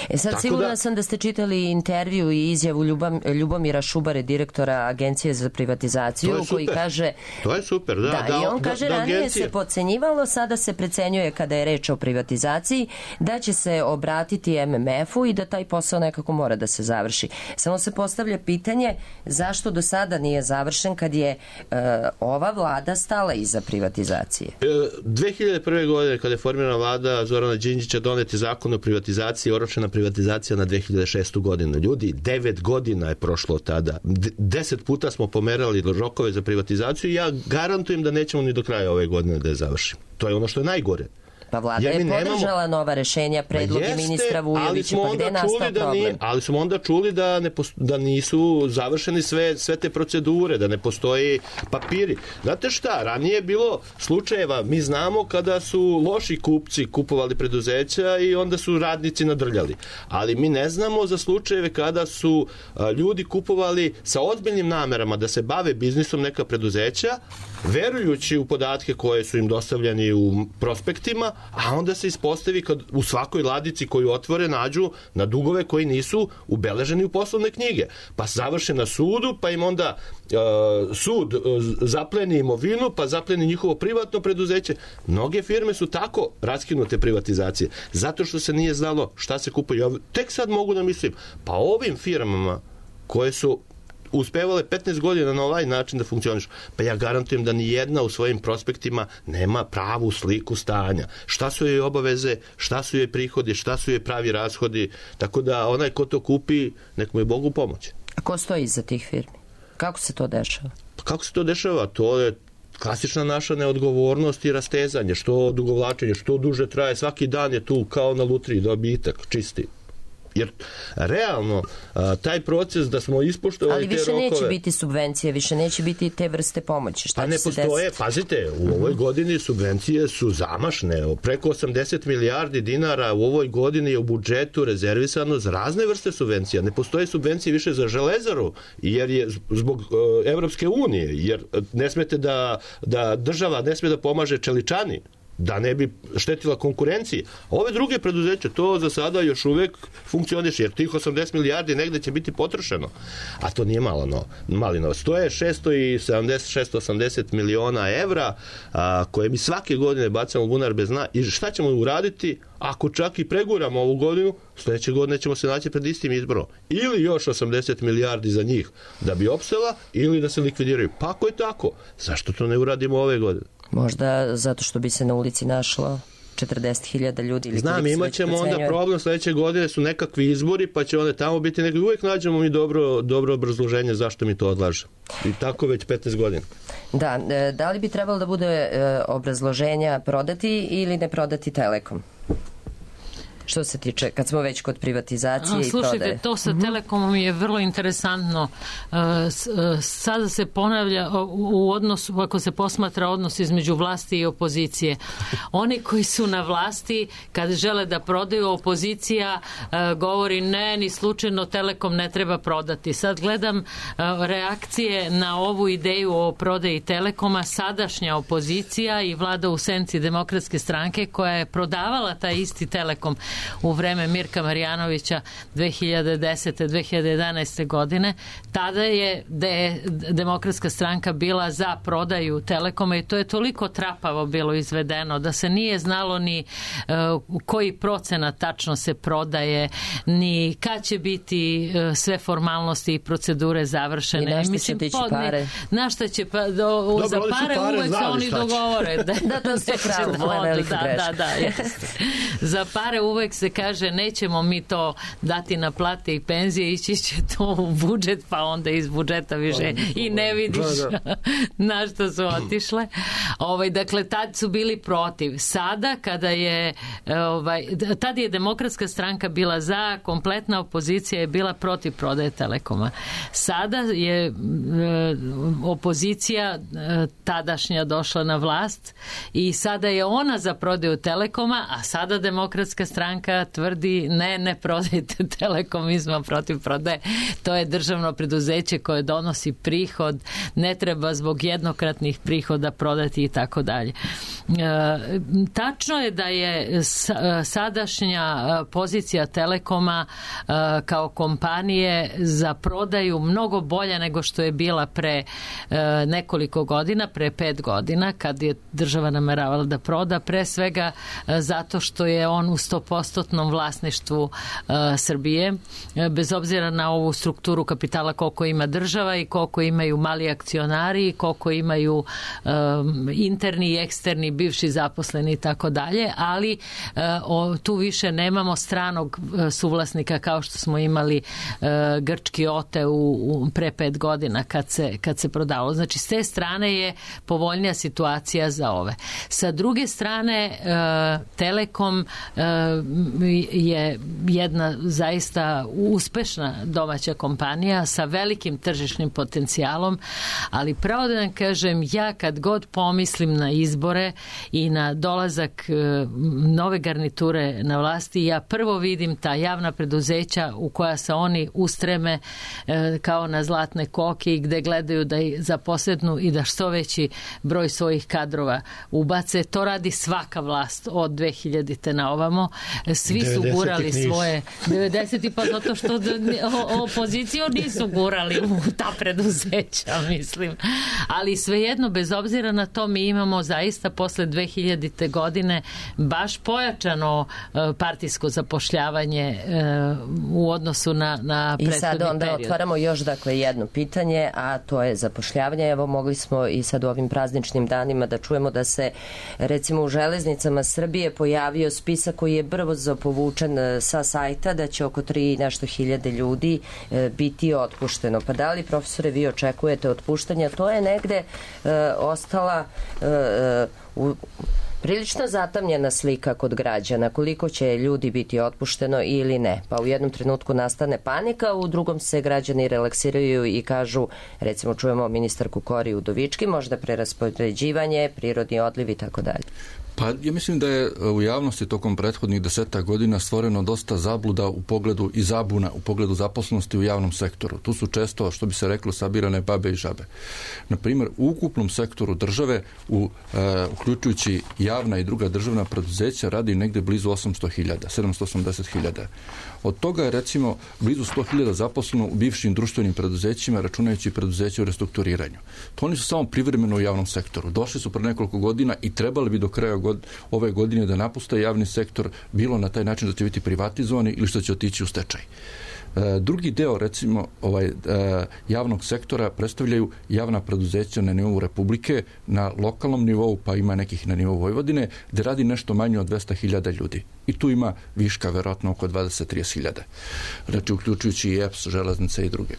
E sad, sigurna da... sam da ste čitali intervju i izjavu Ljubam, Ljubomira Šubare, direktora Agencije za privatizaciju, koji kaže... To je super, da. Da, da i on da, kaže, da, ranije agencije... se podcenjivalo, sada se precenjuje kada je reč o privatizaciji, da će se obratiti em em efu i da taj posao nekako mora da se završi. Samo se postavlja pitanje zašto do sada nije završen kad je uh, ova vlada stala iza privatizacije. E, dve hiljade prve. godine, kada je formirana vlada Zorana Đinđića, donet je zakon o privatizaciji, oročena privatizacija na dve hiljade šestu. godinu. Ljudi, devet godina je prošlo od tada. D- deset puta smo pomerali rokove za privatizaciju i ja garantujem da nećemo ni do kraja ove godine da je završimo. To je ono što je najgore. Pa vlada je podržala nemamo... nova rešenja, predloge jeste, ministra Vujovića, pa gde je nastao da problem? Nije, ali smo onda čuli da, ne posto, da nisu završeni sve, sve te procedure, da ne postoji papiri. Znate šta, ranije je bilo slučajeva, mi znamo kada su loši kupci kupovali preduzeća i onda su radnici nadrljali. Ali mi ne znamo za slučajeve kada su a, ljudi kupovali sa ozbiljnim namerama da se bave biznisom neka preduzeća, verujući u podatke koje su im dostavljeni u prospektima, a onda se ispostavi kad u svakoj ladici koju otvore nađu na dugove koji nisu ubeleženi u poslovne knjige. Pa završe na sudu, pa im onda uh, sud uh, zapleni imovinu, pa zapleni njihovo privatno preduzeće. Mnoge firme su tako raskinute privatizacije, zato što se nije znalo šta se kupuje. Ja tek sad mogu da mislim, pa ovim firmama koje su uspevale petnaest godina na ovaj način da funkcionišu, pa ja garantujem da ni jedna u svojim prospektima nema pravu sliku stanja. Šta su joj obaveze, šta su joj prihodi, šta su joj pravi rashodi, tako da onaj ko to kupi, nek mu je Bogu pomoć. A ko stoji iza tih firmi? Kako se to dešava? Pa kako se to dešava? To je klasična naša neodgovornost i rastezanje, što odugovlačenje, što duže traje, svaki dan je tu kao na lutriji dobitak, čisti. Jer realno taj proces da smo ispoštovali te rokove... Ali više neće biti subvencije, više neće biti te vrste pomoći. Šta pa ne postoje, desiti? Pazite, u ovoj godini subvencije su zamašne. Preko osamdeset milijardi dinara u ovoj godini je u budžetu rezervisano za razne vrste subvencija. Ne postoje subvencije više za Železaru, jer je zbog Evropske unije, jer ne smete da, da država ne sme da pomaže čeličani, da ne bi štetila konkurenciji. Ove druge preduzeće, to za sada još uvek funkcioniše, jer tih osamdeset milijardi negde će biti potrošeno. A to nije malo no, mali novac. To je šesto sedamdeset, šesto osamdeset miliona evra a, koje mi svake godine bacamo u bunar bez dna. I šta ćemo uraditi ako čak i preguramo ovu godinu? Sledeće godine ćemo se naći pred istim izborom. Ili još osamdeset milijardi za njih da bi opstala, ili da se likvidiraju. Pa ako je tako, zašto to ne uradimo ove godine? Možda zato što bi se na ulici našlo četrdeset hiljada ljudi. Ili znam, imat ćemo onda problem sledeće godine, su nekakvi izbori, pa će onda tamo biti nekakvi, uvijek nađemo mi dobro, dobro obrazloženje zašto mi to odlaže. I tako već petnaest godina. Da, da li bi trebalo da bude obrazloženja prodati ili ne prodati Telekom? Što se tiče, kad smo već kod privatizacije i prodaje. Slušajte, to sa Telekomom je vrlo interesantno. Sada se ponavlja u odnosu, ako se posmatra odnos između vlasti i opozicije. Oni koji su na vlasti, kad žele da prodaju, opozicija govori ne, ni slučajno Telekom ne treba prodati. Sad gledam reakcije na ovu ideju o prodaji Telekoma, sadašnja opozicija i vlada u senci Demokratske stranke koja je prodavala taj isti Telekom u vreme Mirka Marjanovića dve hiljade desete. dve hiljade jedanaeste. godine. Tada je de, Demokratska stranka bila za prodaju Telekoma i to je toliko trapavo bilo izvedeno da se nije znalo ni uh, koji procenat tačno se prodaje, ni kad će biti uh, sve formalnosti i procedure završene. I na šta će tići pare? Na šta će pa, do, Dobro, za pare, pare uvek se oni dogovore. Da, da, to se kralo, da, velika greška. Da, da, jeste. Za pare uvek se kaže nećemo mi to dati na plate i penzije, ići će to u budžet, pa onda iz budžeta više i ne vidiš na što su otišle. Ovaj, dakle, tad su bili protiv. Sada, kada je ovaj, tad je Demokratska stranka bila za, kompletna opozicija je bila protiv prodaje Telekoma. Sada je e, opozicija e, tadašnja došla na vlast i sada je ona za prodaju Telekoma, a sada Demokratska stranka tvrdi ne, ne prodajte Telekom, mi smo protiv prodaje. To je državno preduzeće koje donosi prihod, ne treba zbog jednokratnih prihoda prodati i tako dalje. Tačno je da je sadašnja pozicija Telekoma kao kompanije za prodaju mnogo bolja nego što je bila pre nekoliko godina, pre pet godina, kad je država nameravala da proda, pre svega zato što je on u sto posto vlasništvu uh, Srbije, bez obzira na ovu strukturu kapitala koliko ima država i koliko imaju mali akcionari, koliko imaju um, interni i eksterni bivši zaposleni i tako dalje, ali uh, o, tu više nemamo stranog uh, suvlasnika kao što smo imali uh, grčki Ote u, u pre pet godina kad se, kad se prodalo. Znači, s te strane je povoljnija situacija za ove. Sa druge strane, uh, Telekom uh, je jedna zaista uspešna domaća kompanija sa velikim tržišnim potencijalom, ali pravo da vam kažem, ja kad god pomislim na izbore i na dolazak nove garniture na vlasti, ja prvo vidim ta javna preduzeća u koja se oni ustreme kao na zlatne koke i gde gledaju da zaposlednu i da što veći broj svojih kadrova ubace. To radi svaka vlast od dve hiljadite na ovamo. Svi su gurali svoje devedeseti pa zato što opoziciju nisu gurali u ta preduzeća, mislim. Ali svejedno, bez obzira na to, mi imamo zaista posle dve hiljadite godine baš pojačano partijsko zapošljavanje u odnosu na, na prethodni period. I sad onda period. Otvaramo još dakle jedno pitanje, a to je zapošljavanje. Evo, mogli smo i sad u ovim prazničnim danima da čujemo da se recimo u Železnicama Srbije pojavio spisak koji je brzo povučen sa sajta, da će oko tri nešto hiljade ljudi e, biti otpušteno. Pa da li, profesore, vi očekujete otpuštanja? To je negde e, ostala e, u Prilično zatamnjena slika kod građana, koliko će ljudi biti otpušteno ili ne. Pa u jednom trenutku nastane panika, u drugom se građani relaksiraju i kažu, recimo čujemo ministarku Kori Udovički, možda preraspodeljivanje, prirodni odliv i tako dalje. Pa ja mislim da je u javnosti tokom prethodnih deseta godina stvoreno dosta zabluda u pogledu i zabuna u pogledu zaposlenosti u javnom sektoru. Tu su često, što bi se reklo, sabirane babe i žabe. Na primjer, u ukupnom sektoru države, u, e, uključujući javna i druga državna preduzeća, radi negde blizu osamsto hiljada, sedamsto osamdeset hiljada. Od toga je recimo blizu sto hiljada zaposleno u bivšim društvenim preduzećima, računajući preduzeće u restrukturiranju. To oni su samo privremeno u javnom sektoru. Došli su pre nekoliko godina i trebali bi do kraja god, ove godine da napuste javni sektor, bilo na taj način da će biti privatizovani ili što će otići u stečaj. Drugi deo, recimo, ovaj, javnog sektora predstavljaju javna preduzeća na nivou Republike, na lokalnom nivou, pa ima nekih na nivou Vojvodine, gde radi nešto manje od dvesta hiljada ljudi. I tu ima viška, verovatno, oko dvadeset do trideset hiljada. Znači, uključujući i E P S, železnice i druge.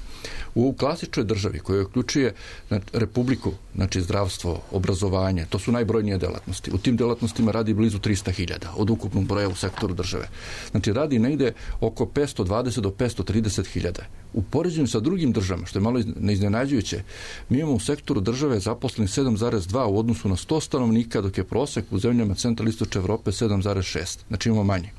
U klasičnoj državi, koja uključuje znači, Republiku, znači zdravstvo, obrazovanje, to su najbrojnije delatnosti. U tim delatnostima radi blizu trista hiljada od ukupnog broja u sektoru države. Znači, radi negde oko petsto dvadeset do petsto trideset hiljada. U poređenju sa drugim državama, što je malo neiznenađujuće, mi imamo u sektoru države zaposleni sedam zarez dva u odnosu na sto stanovnika, dok je prosek u zemljama centralistočne Evrope sedam zarez šest. Znači imamo manje.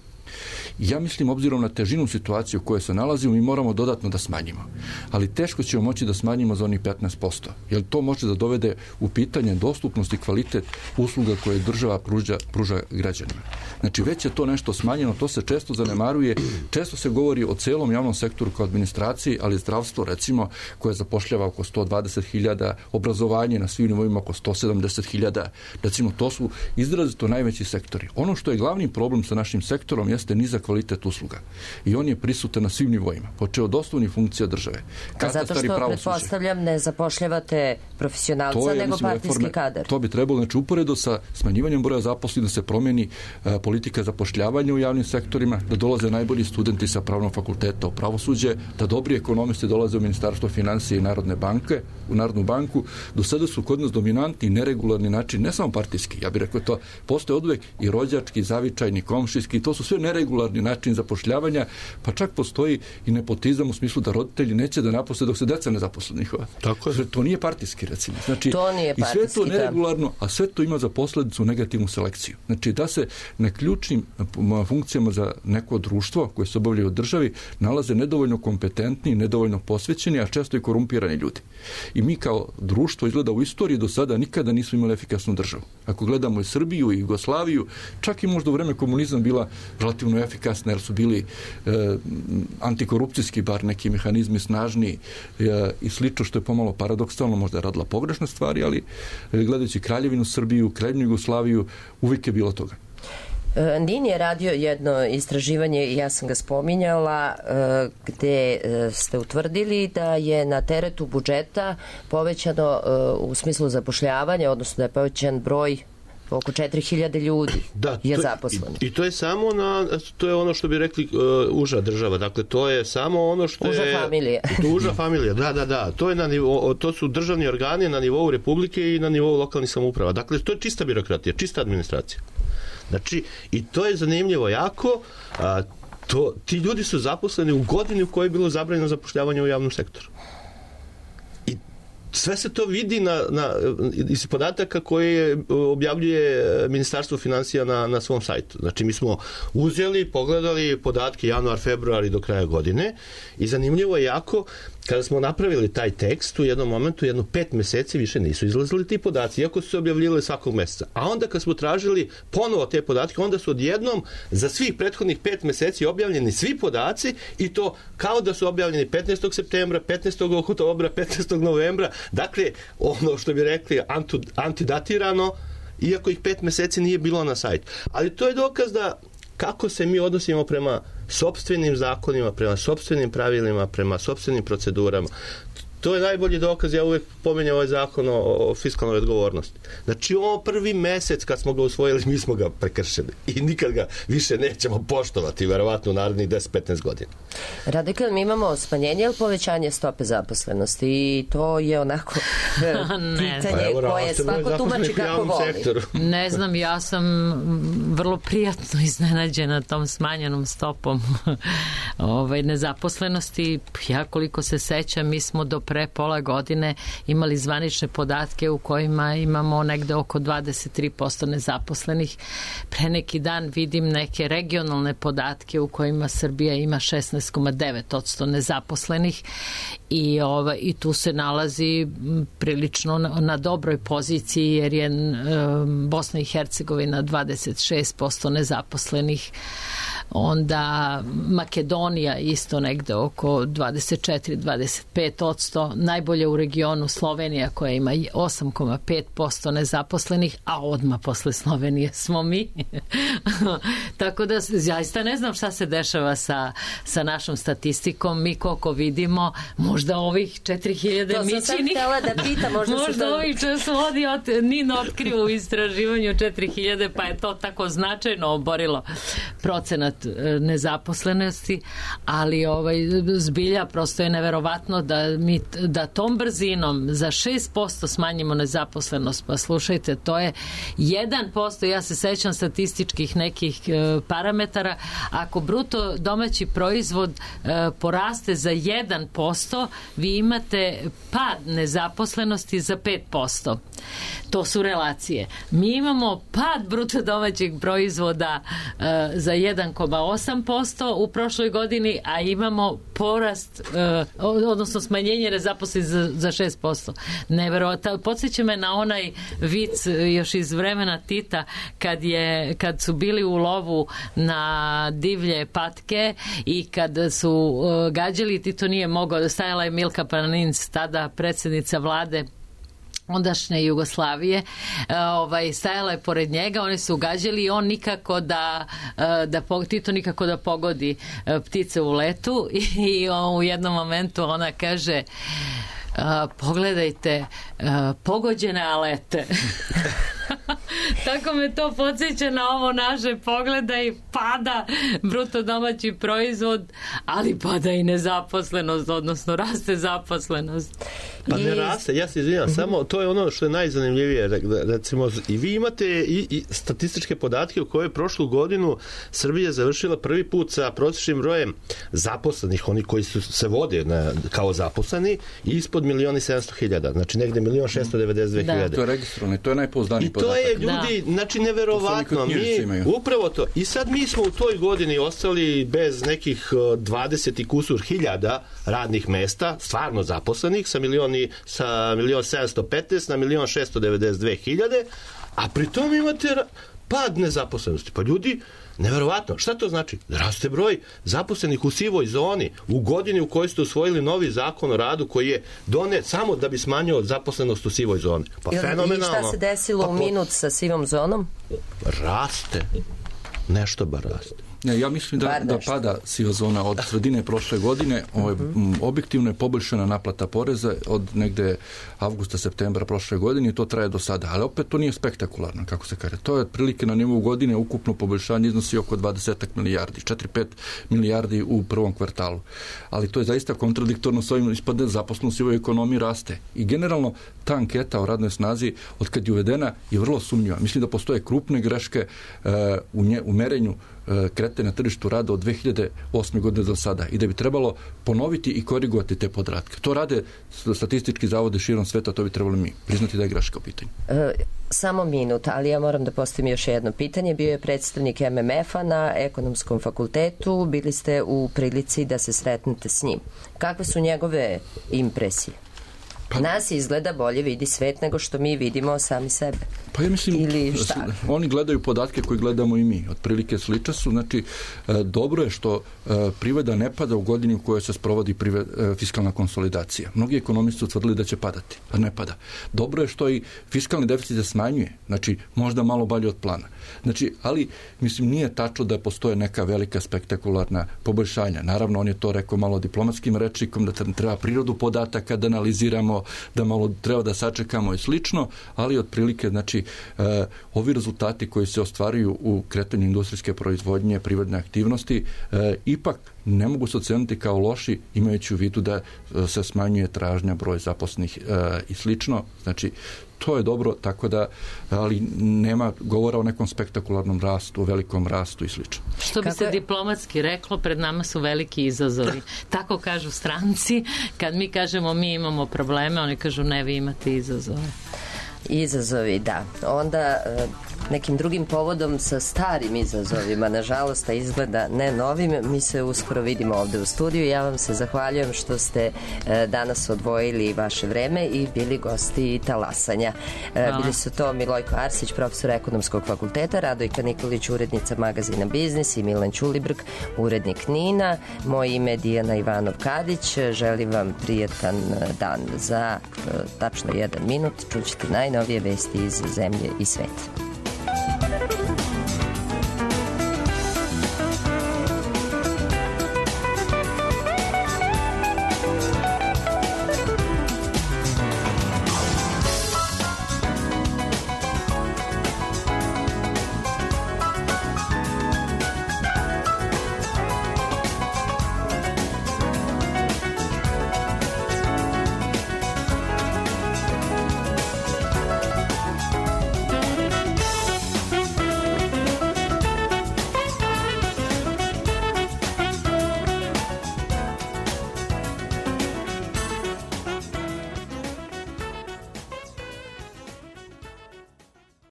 Ja mislim, obzirom na težinu situacije u kojoj se nalazimo, mi moramo dodatno da smanjimo. Ali teško ćemo moći da smanjimo za onih petnaest posto. Jer to može da dovede u pitanje dostupnost i kvalitet usluga koje država pruža, pruža građanima. Znači, već je to nešto smanjeno, to se često zanemaruje. Često se govori o celom javnom sektoru kao administraciji, ali zdravstvo, recimo, koje zapošljava oko sto dvadeset hiljada, obrazovanje na svim nivoima oko sto sedamdeset hiljada. Recimo, to su izrazito najveći sektori. Ono što je glavni problem sa našim sektorom jeste nizak kvalitet usluga. I on je prisutan na svim nivoima, počeo od osnovnih funkcija države. A zato što, pretpostavljam, ne zapošljavate profesionalca, je, nego mislim, partijski reforme, kadar. To bi trebalo, znači, uporedo sa smanjivanjem broja zaposlenih da se promeni a, politika zapošljavanja u javnim sektorima, da dolaze najbolji studenti sa pravnog fakulteta u pravosuđe, da dobri ekonomisti dolaze u Ministarstvo finansije i Narodne banke, u Narodnu banku. Do sada su kod nas dominantni neregularni način, ne samo partijski, ja bih rekao to, postoje oduvek i rođački, zavičajni, komšijski, to su sve neregularni način zapošljavanja, pa čak postoji i nepotizam u smislu da roditelji neće da naposle dok se deca ne zaposle njihova. Tako je. To nije partijski, recimo. Znači, to nije partijski, i sve to neregularno, a sve to ima za posledicu negativnu selekciju. Znači, da se na ključnim funkcijama za neko društvo koje se obavljaju u državi nalaze nedovoljno kompetentni, nedovoljno posvećeni, a često i korumpirani ljudi. I mi kao društvo, izgleda, u istoriji do sada nikada nismo imali efikasnu državu. Ako gledamo i Srbiju i Jugoslaviju, čak i možda u vreme komunizma bila relativno efikasna, jer su bili e, antikorupcijski, bar neki mehanizmi snažni e, i slično, što je pomalo paradoksalno, možda je radila pogrešne stvari, ali e, gledajući Kraljevinu Srbiju, Kraljevinu Jugoslaviju, uvijek je bilo toga. N I N je radio jedno istraživanje, i ja sam ga spominjala, gde ste utvrdili da je na teretu budžeta povećano u smislu zapošljavanja, odnosno da je povećan broj oko četiri hiljade ljudi da, je to, zaposleno. I, I to je samo na, to je ono što bi rekli uh, uža država. Dakle, to je samo ono što uža je... Uža familije. To uža familija, da, da, da. To, je na nivou, to su državni organi na nivou Republike i na nivou lokalnih samouprava. Dakle, to je čista birokratija, čista administracija. Znači, i to je zanimljivo jako, a, to, ti ljudi su zaposleni u godini u kojoj je bilo zabranjeno zapošljavanje u javnom sektoru. I sve se to vidi na, na, iz podataka koje objavljuje Ministarstvo finansija na, na svom sajtu. Znači, mi smo uzeli, pogledali podatke januar, februar i do kraja godine i zanimljivo je jako, kada smo napravili taj tekst, u jednom momentu, jedno pet meseci više nisu izlazili ti podaci, iako su se objavljivali svakog meseca. A onda kad smo tražili ponovo te podatke, onda su odjednom za svih prethodnih pet meseci objavljeni svi podaci i to kao da su objavljeni petnaestog septembra, petnaestog oktobra, petnaestog novembra. Dakle, ono što bi rekli antidatirano, iako ih pet meseci nije bilo na sajtu. Ali to je dokaz da kako se mi odnosimo prema sopstvenim zakonima, prema sopstvenim pravilima, prema sopstvenim procedurama. To to je najbolji dokaz, ja uvek pominjem ovaj zakon o, o fiskalnoj odgovornosti. Znači, ovo prvi mesec kad smo ga usvojili, mi smo ga prekršili i nikad ga više nećemo poštovati, verovatno u narednih deset do petnaest godina. Radikal, mi imamo smanjenje ili povećanje stope zaposlenosti i to je onako pitanje pa, koje svako tumači kako voli. Sektoru. Ne znam, ja sam vrlo prijatno iznenađena tom smanjenom stopom ovaj, nezaposlenosti. Ja koliko se sećam, mi smo do pre pola godine imali zvanične podatke u kojima imamo negde oko dvadeset tri posto nezaposlenih. Pre neki dan vidim neke regionalne podatke u kojima Srbija ima šesnaest zarez devet posto nezaposlenih i, ovaj, i tu se nalazi prilično na, na dobroj poziciji jer je um, Bosna i Hercegovina dvadeset šest posto nezaposlenih, onda Makedonija isto negde oko dvadeset četiri do dvadeset pet posto, najbolje u regionu Slovenija koja ima osam zarez pet posto nezaposlenih, a odmah posle Slovenije smo mi. Tako da zaista ne znam šta se dešava sa, sa našom statistikom. Mi koliko vidimo, možda ovih četiri hiljade mićinih, to sam sam htjela da pita, možda, možda to... ovih časovodi od Nin otkrio u istraživanju četiri hiljade, pa je to tako značajno oborilo procenat nezaposlenosti, ali ovaj, zbilja prosto je neverovatno da mi da tom brzinom za šest posto smanjimo nezaposlenost. Pa slušajte, to je jedan posto, ja se sećam statističkih nekih e, parametara, ako bruto domaći proizvod e, poraste za jedan posto, vi imate pad nezaposlenosti za pet posto. To su relacije. Mi imamo pad bruto domaćeg proizvoda e, za jedan zarez osam posto u prošloj godini, a imamo porast, e, odnosno smanjenje nezaposlenih za, za šest posto. Neverovatno. Podsjeća me na onaj vic još iz vremena Tita kad, je, kad su bili u lovu na divlje patke i kad su uh, gađali, Tito nije mogao, stajala je Milka Planinc, tada predsjednica vlade ondašnje Jugoslavije, ovaj, stajala je pored njega, oni su gađali i on nikako da, da Tito nikako da pogodi ptice u letu i, i u jednom momentu ona kaže Uh, pogledajte, uh, pogođene alete. Tako me to podsjeća na ovo naše, pogledaj, pada bruto domaći proizvod, ali pada i nezaposlenost, odnosno raste zaposlenost. Pa ne raste, ja se izvinjam, samo to je ono što je najzanimljivije, recimo, i vi imate i, i statističke podatke u kojoj prošlu godinu Srbija završila prvi put sa prosječnim brojem zaposlenih, oni koji su se vode na, kao zaposleni, ispod milion i sedamsto hiljada, znači negde milion šesto devedeset dve hiljade. To je registrovano, to je najpouzdaniji podatak. I to je, ljudi, da. Znači, neverovatno. Mi, upravo to. I sad mi smo u toj godini ostali bez nekih dvadeset i kusur hiljada radnih mesta, stvarno zaposlenih, sa milion i sa milion sedamsto petnaest na milion šesto devedeset dve hiljade, a pri tom imate pad nezaposlenosti. Pa ljudi, neverovatno. Šta to znači? Raste broj zaposlenih u sivoj zoni u godini u kojoj ste usvojili novi zakon o radu koji je donet samo da bi smanjio zaposlenost u sivoj zoni. Pa I, fenomenalno. I šta se desilo pa, u minut sa sivom zonom? Raste. Nešto bar raste. Ne, ja mislim da, da pada siva zona od sredine prošle godine. Ovo je, uh-huh. objektivno je poboljšana naplata poreza od negde avgusta, septembra prošle godine i to traje do sada. Ali opet to nije spektakularno, kako se kaže. To je otprilike na nivou godine ukupno poboljšanje iznosi oko dvadeset milijardi, četiri do pet milijardi u prvom kvartalu. Ali to je zaista kontradiktorno s ovim, ispadne zaposlenost u ovoj ekonomiji raste. I generalno ta anketa o radnoj snazi od kad je uvedena je vrlo sumnjiva. Mislim da postoje krupne greške uh, u, nje, u merenju krete na tržištu rada od dve hiljade osme godine do sada i da bi trebalo ponoviti i korigovati te podatke. To rade statistički zavode širom sveta, to bi trebalo mi priznati da je greška u pitanju. E, samo minut, ali ja moram da postavim još jedno pitanje. Bio je predstavnik M M F-a na ekonomskom fakultetu, bili ste u prilici da se sretnete s njim. Kakve su njegove impresije? Pa, nas izgleda bolje vidi svet nego što mi vidimo sami sebe. Pa ja mislim, ili šta? Oni gledaju podatke koje gledamo i mi. Otprilike slične su. Znači, dobro je što privreda ne pada u godini u kojoj se sprovodi fiskalna konsolidacija. Mnogi ekonomisti su tvrdili da će padati, a ne pada. Dobro je što i fiskalni deficit se smanjuje. Znači, možda malo bolje od plana. Znači, ali, mislim, nije tačno da postoje neka velika spektakularna poboljšanja. Naravno, on je to rekao malo diplomatskim rečnikom, da treba prirodu podataka da analiziramo, da malo treba da sačekamo i slično, ali otprilike, znači, e, ovi rezultati koji se ostvaruju u kretanju industrijske proizvodnje, privredne aktivnosti, e, ipak ne mogu se oceniti kao loši, imajući u vidu da se smanjuje tražnja, broj zaposlenih e, i slično. Znači, to je dobro, tako da, ali nema govora o nekom spektakularnom rastu, o velikom rastu i slično. Što bi Kako se je? diplomatski reklo, pred nama su veliki izazovi. Tako kažu stranci. Kad mi kažemo mi imamo probleme, oni kažu ne, vi imate izazove. Izazovi, da. Onda nekim drugim povodom sa starim izazovima, nažalost, a izgleda ne novim, mi se uskoro vidimo ovde u studiju. Ja vam se zahvaljujem što ste danas odvojili vaše vreme i bili gosti Talasanja. Hvala. Bili su to Milojko Arsić, profesor ekonomskog fakulteta, Radojka Nikolić, urednica magazina Biznis i Milan Ćulibrk, urednik Nina. Moje ime je Dijana Ivanov-Kadić. Želim vam prijetan dan. Za tačno jedan minut čućete najnovije vesti iz zemlje i sveta.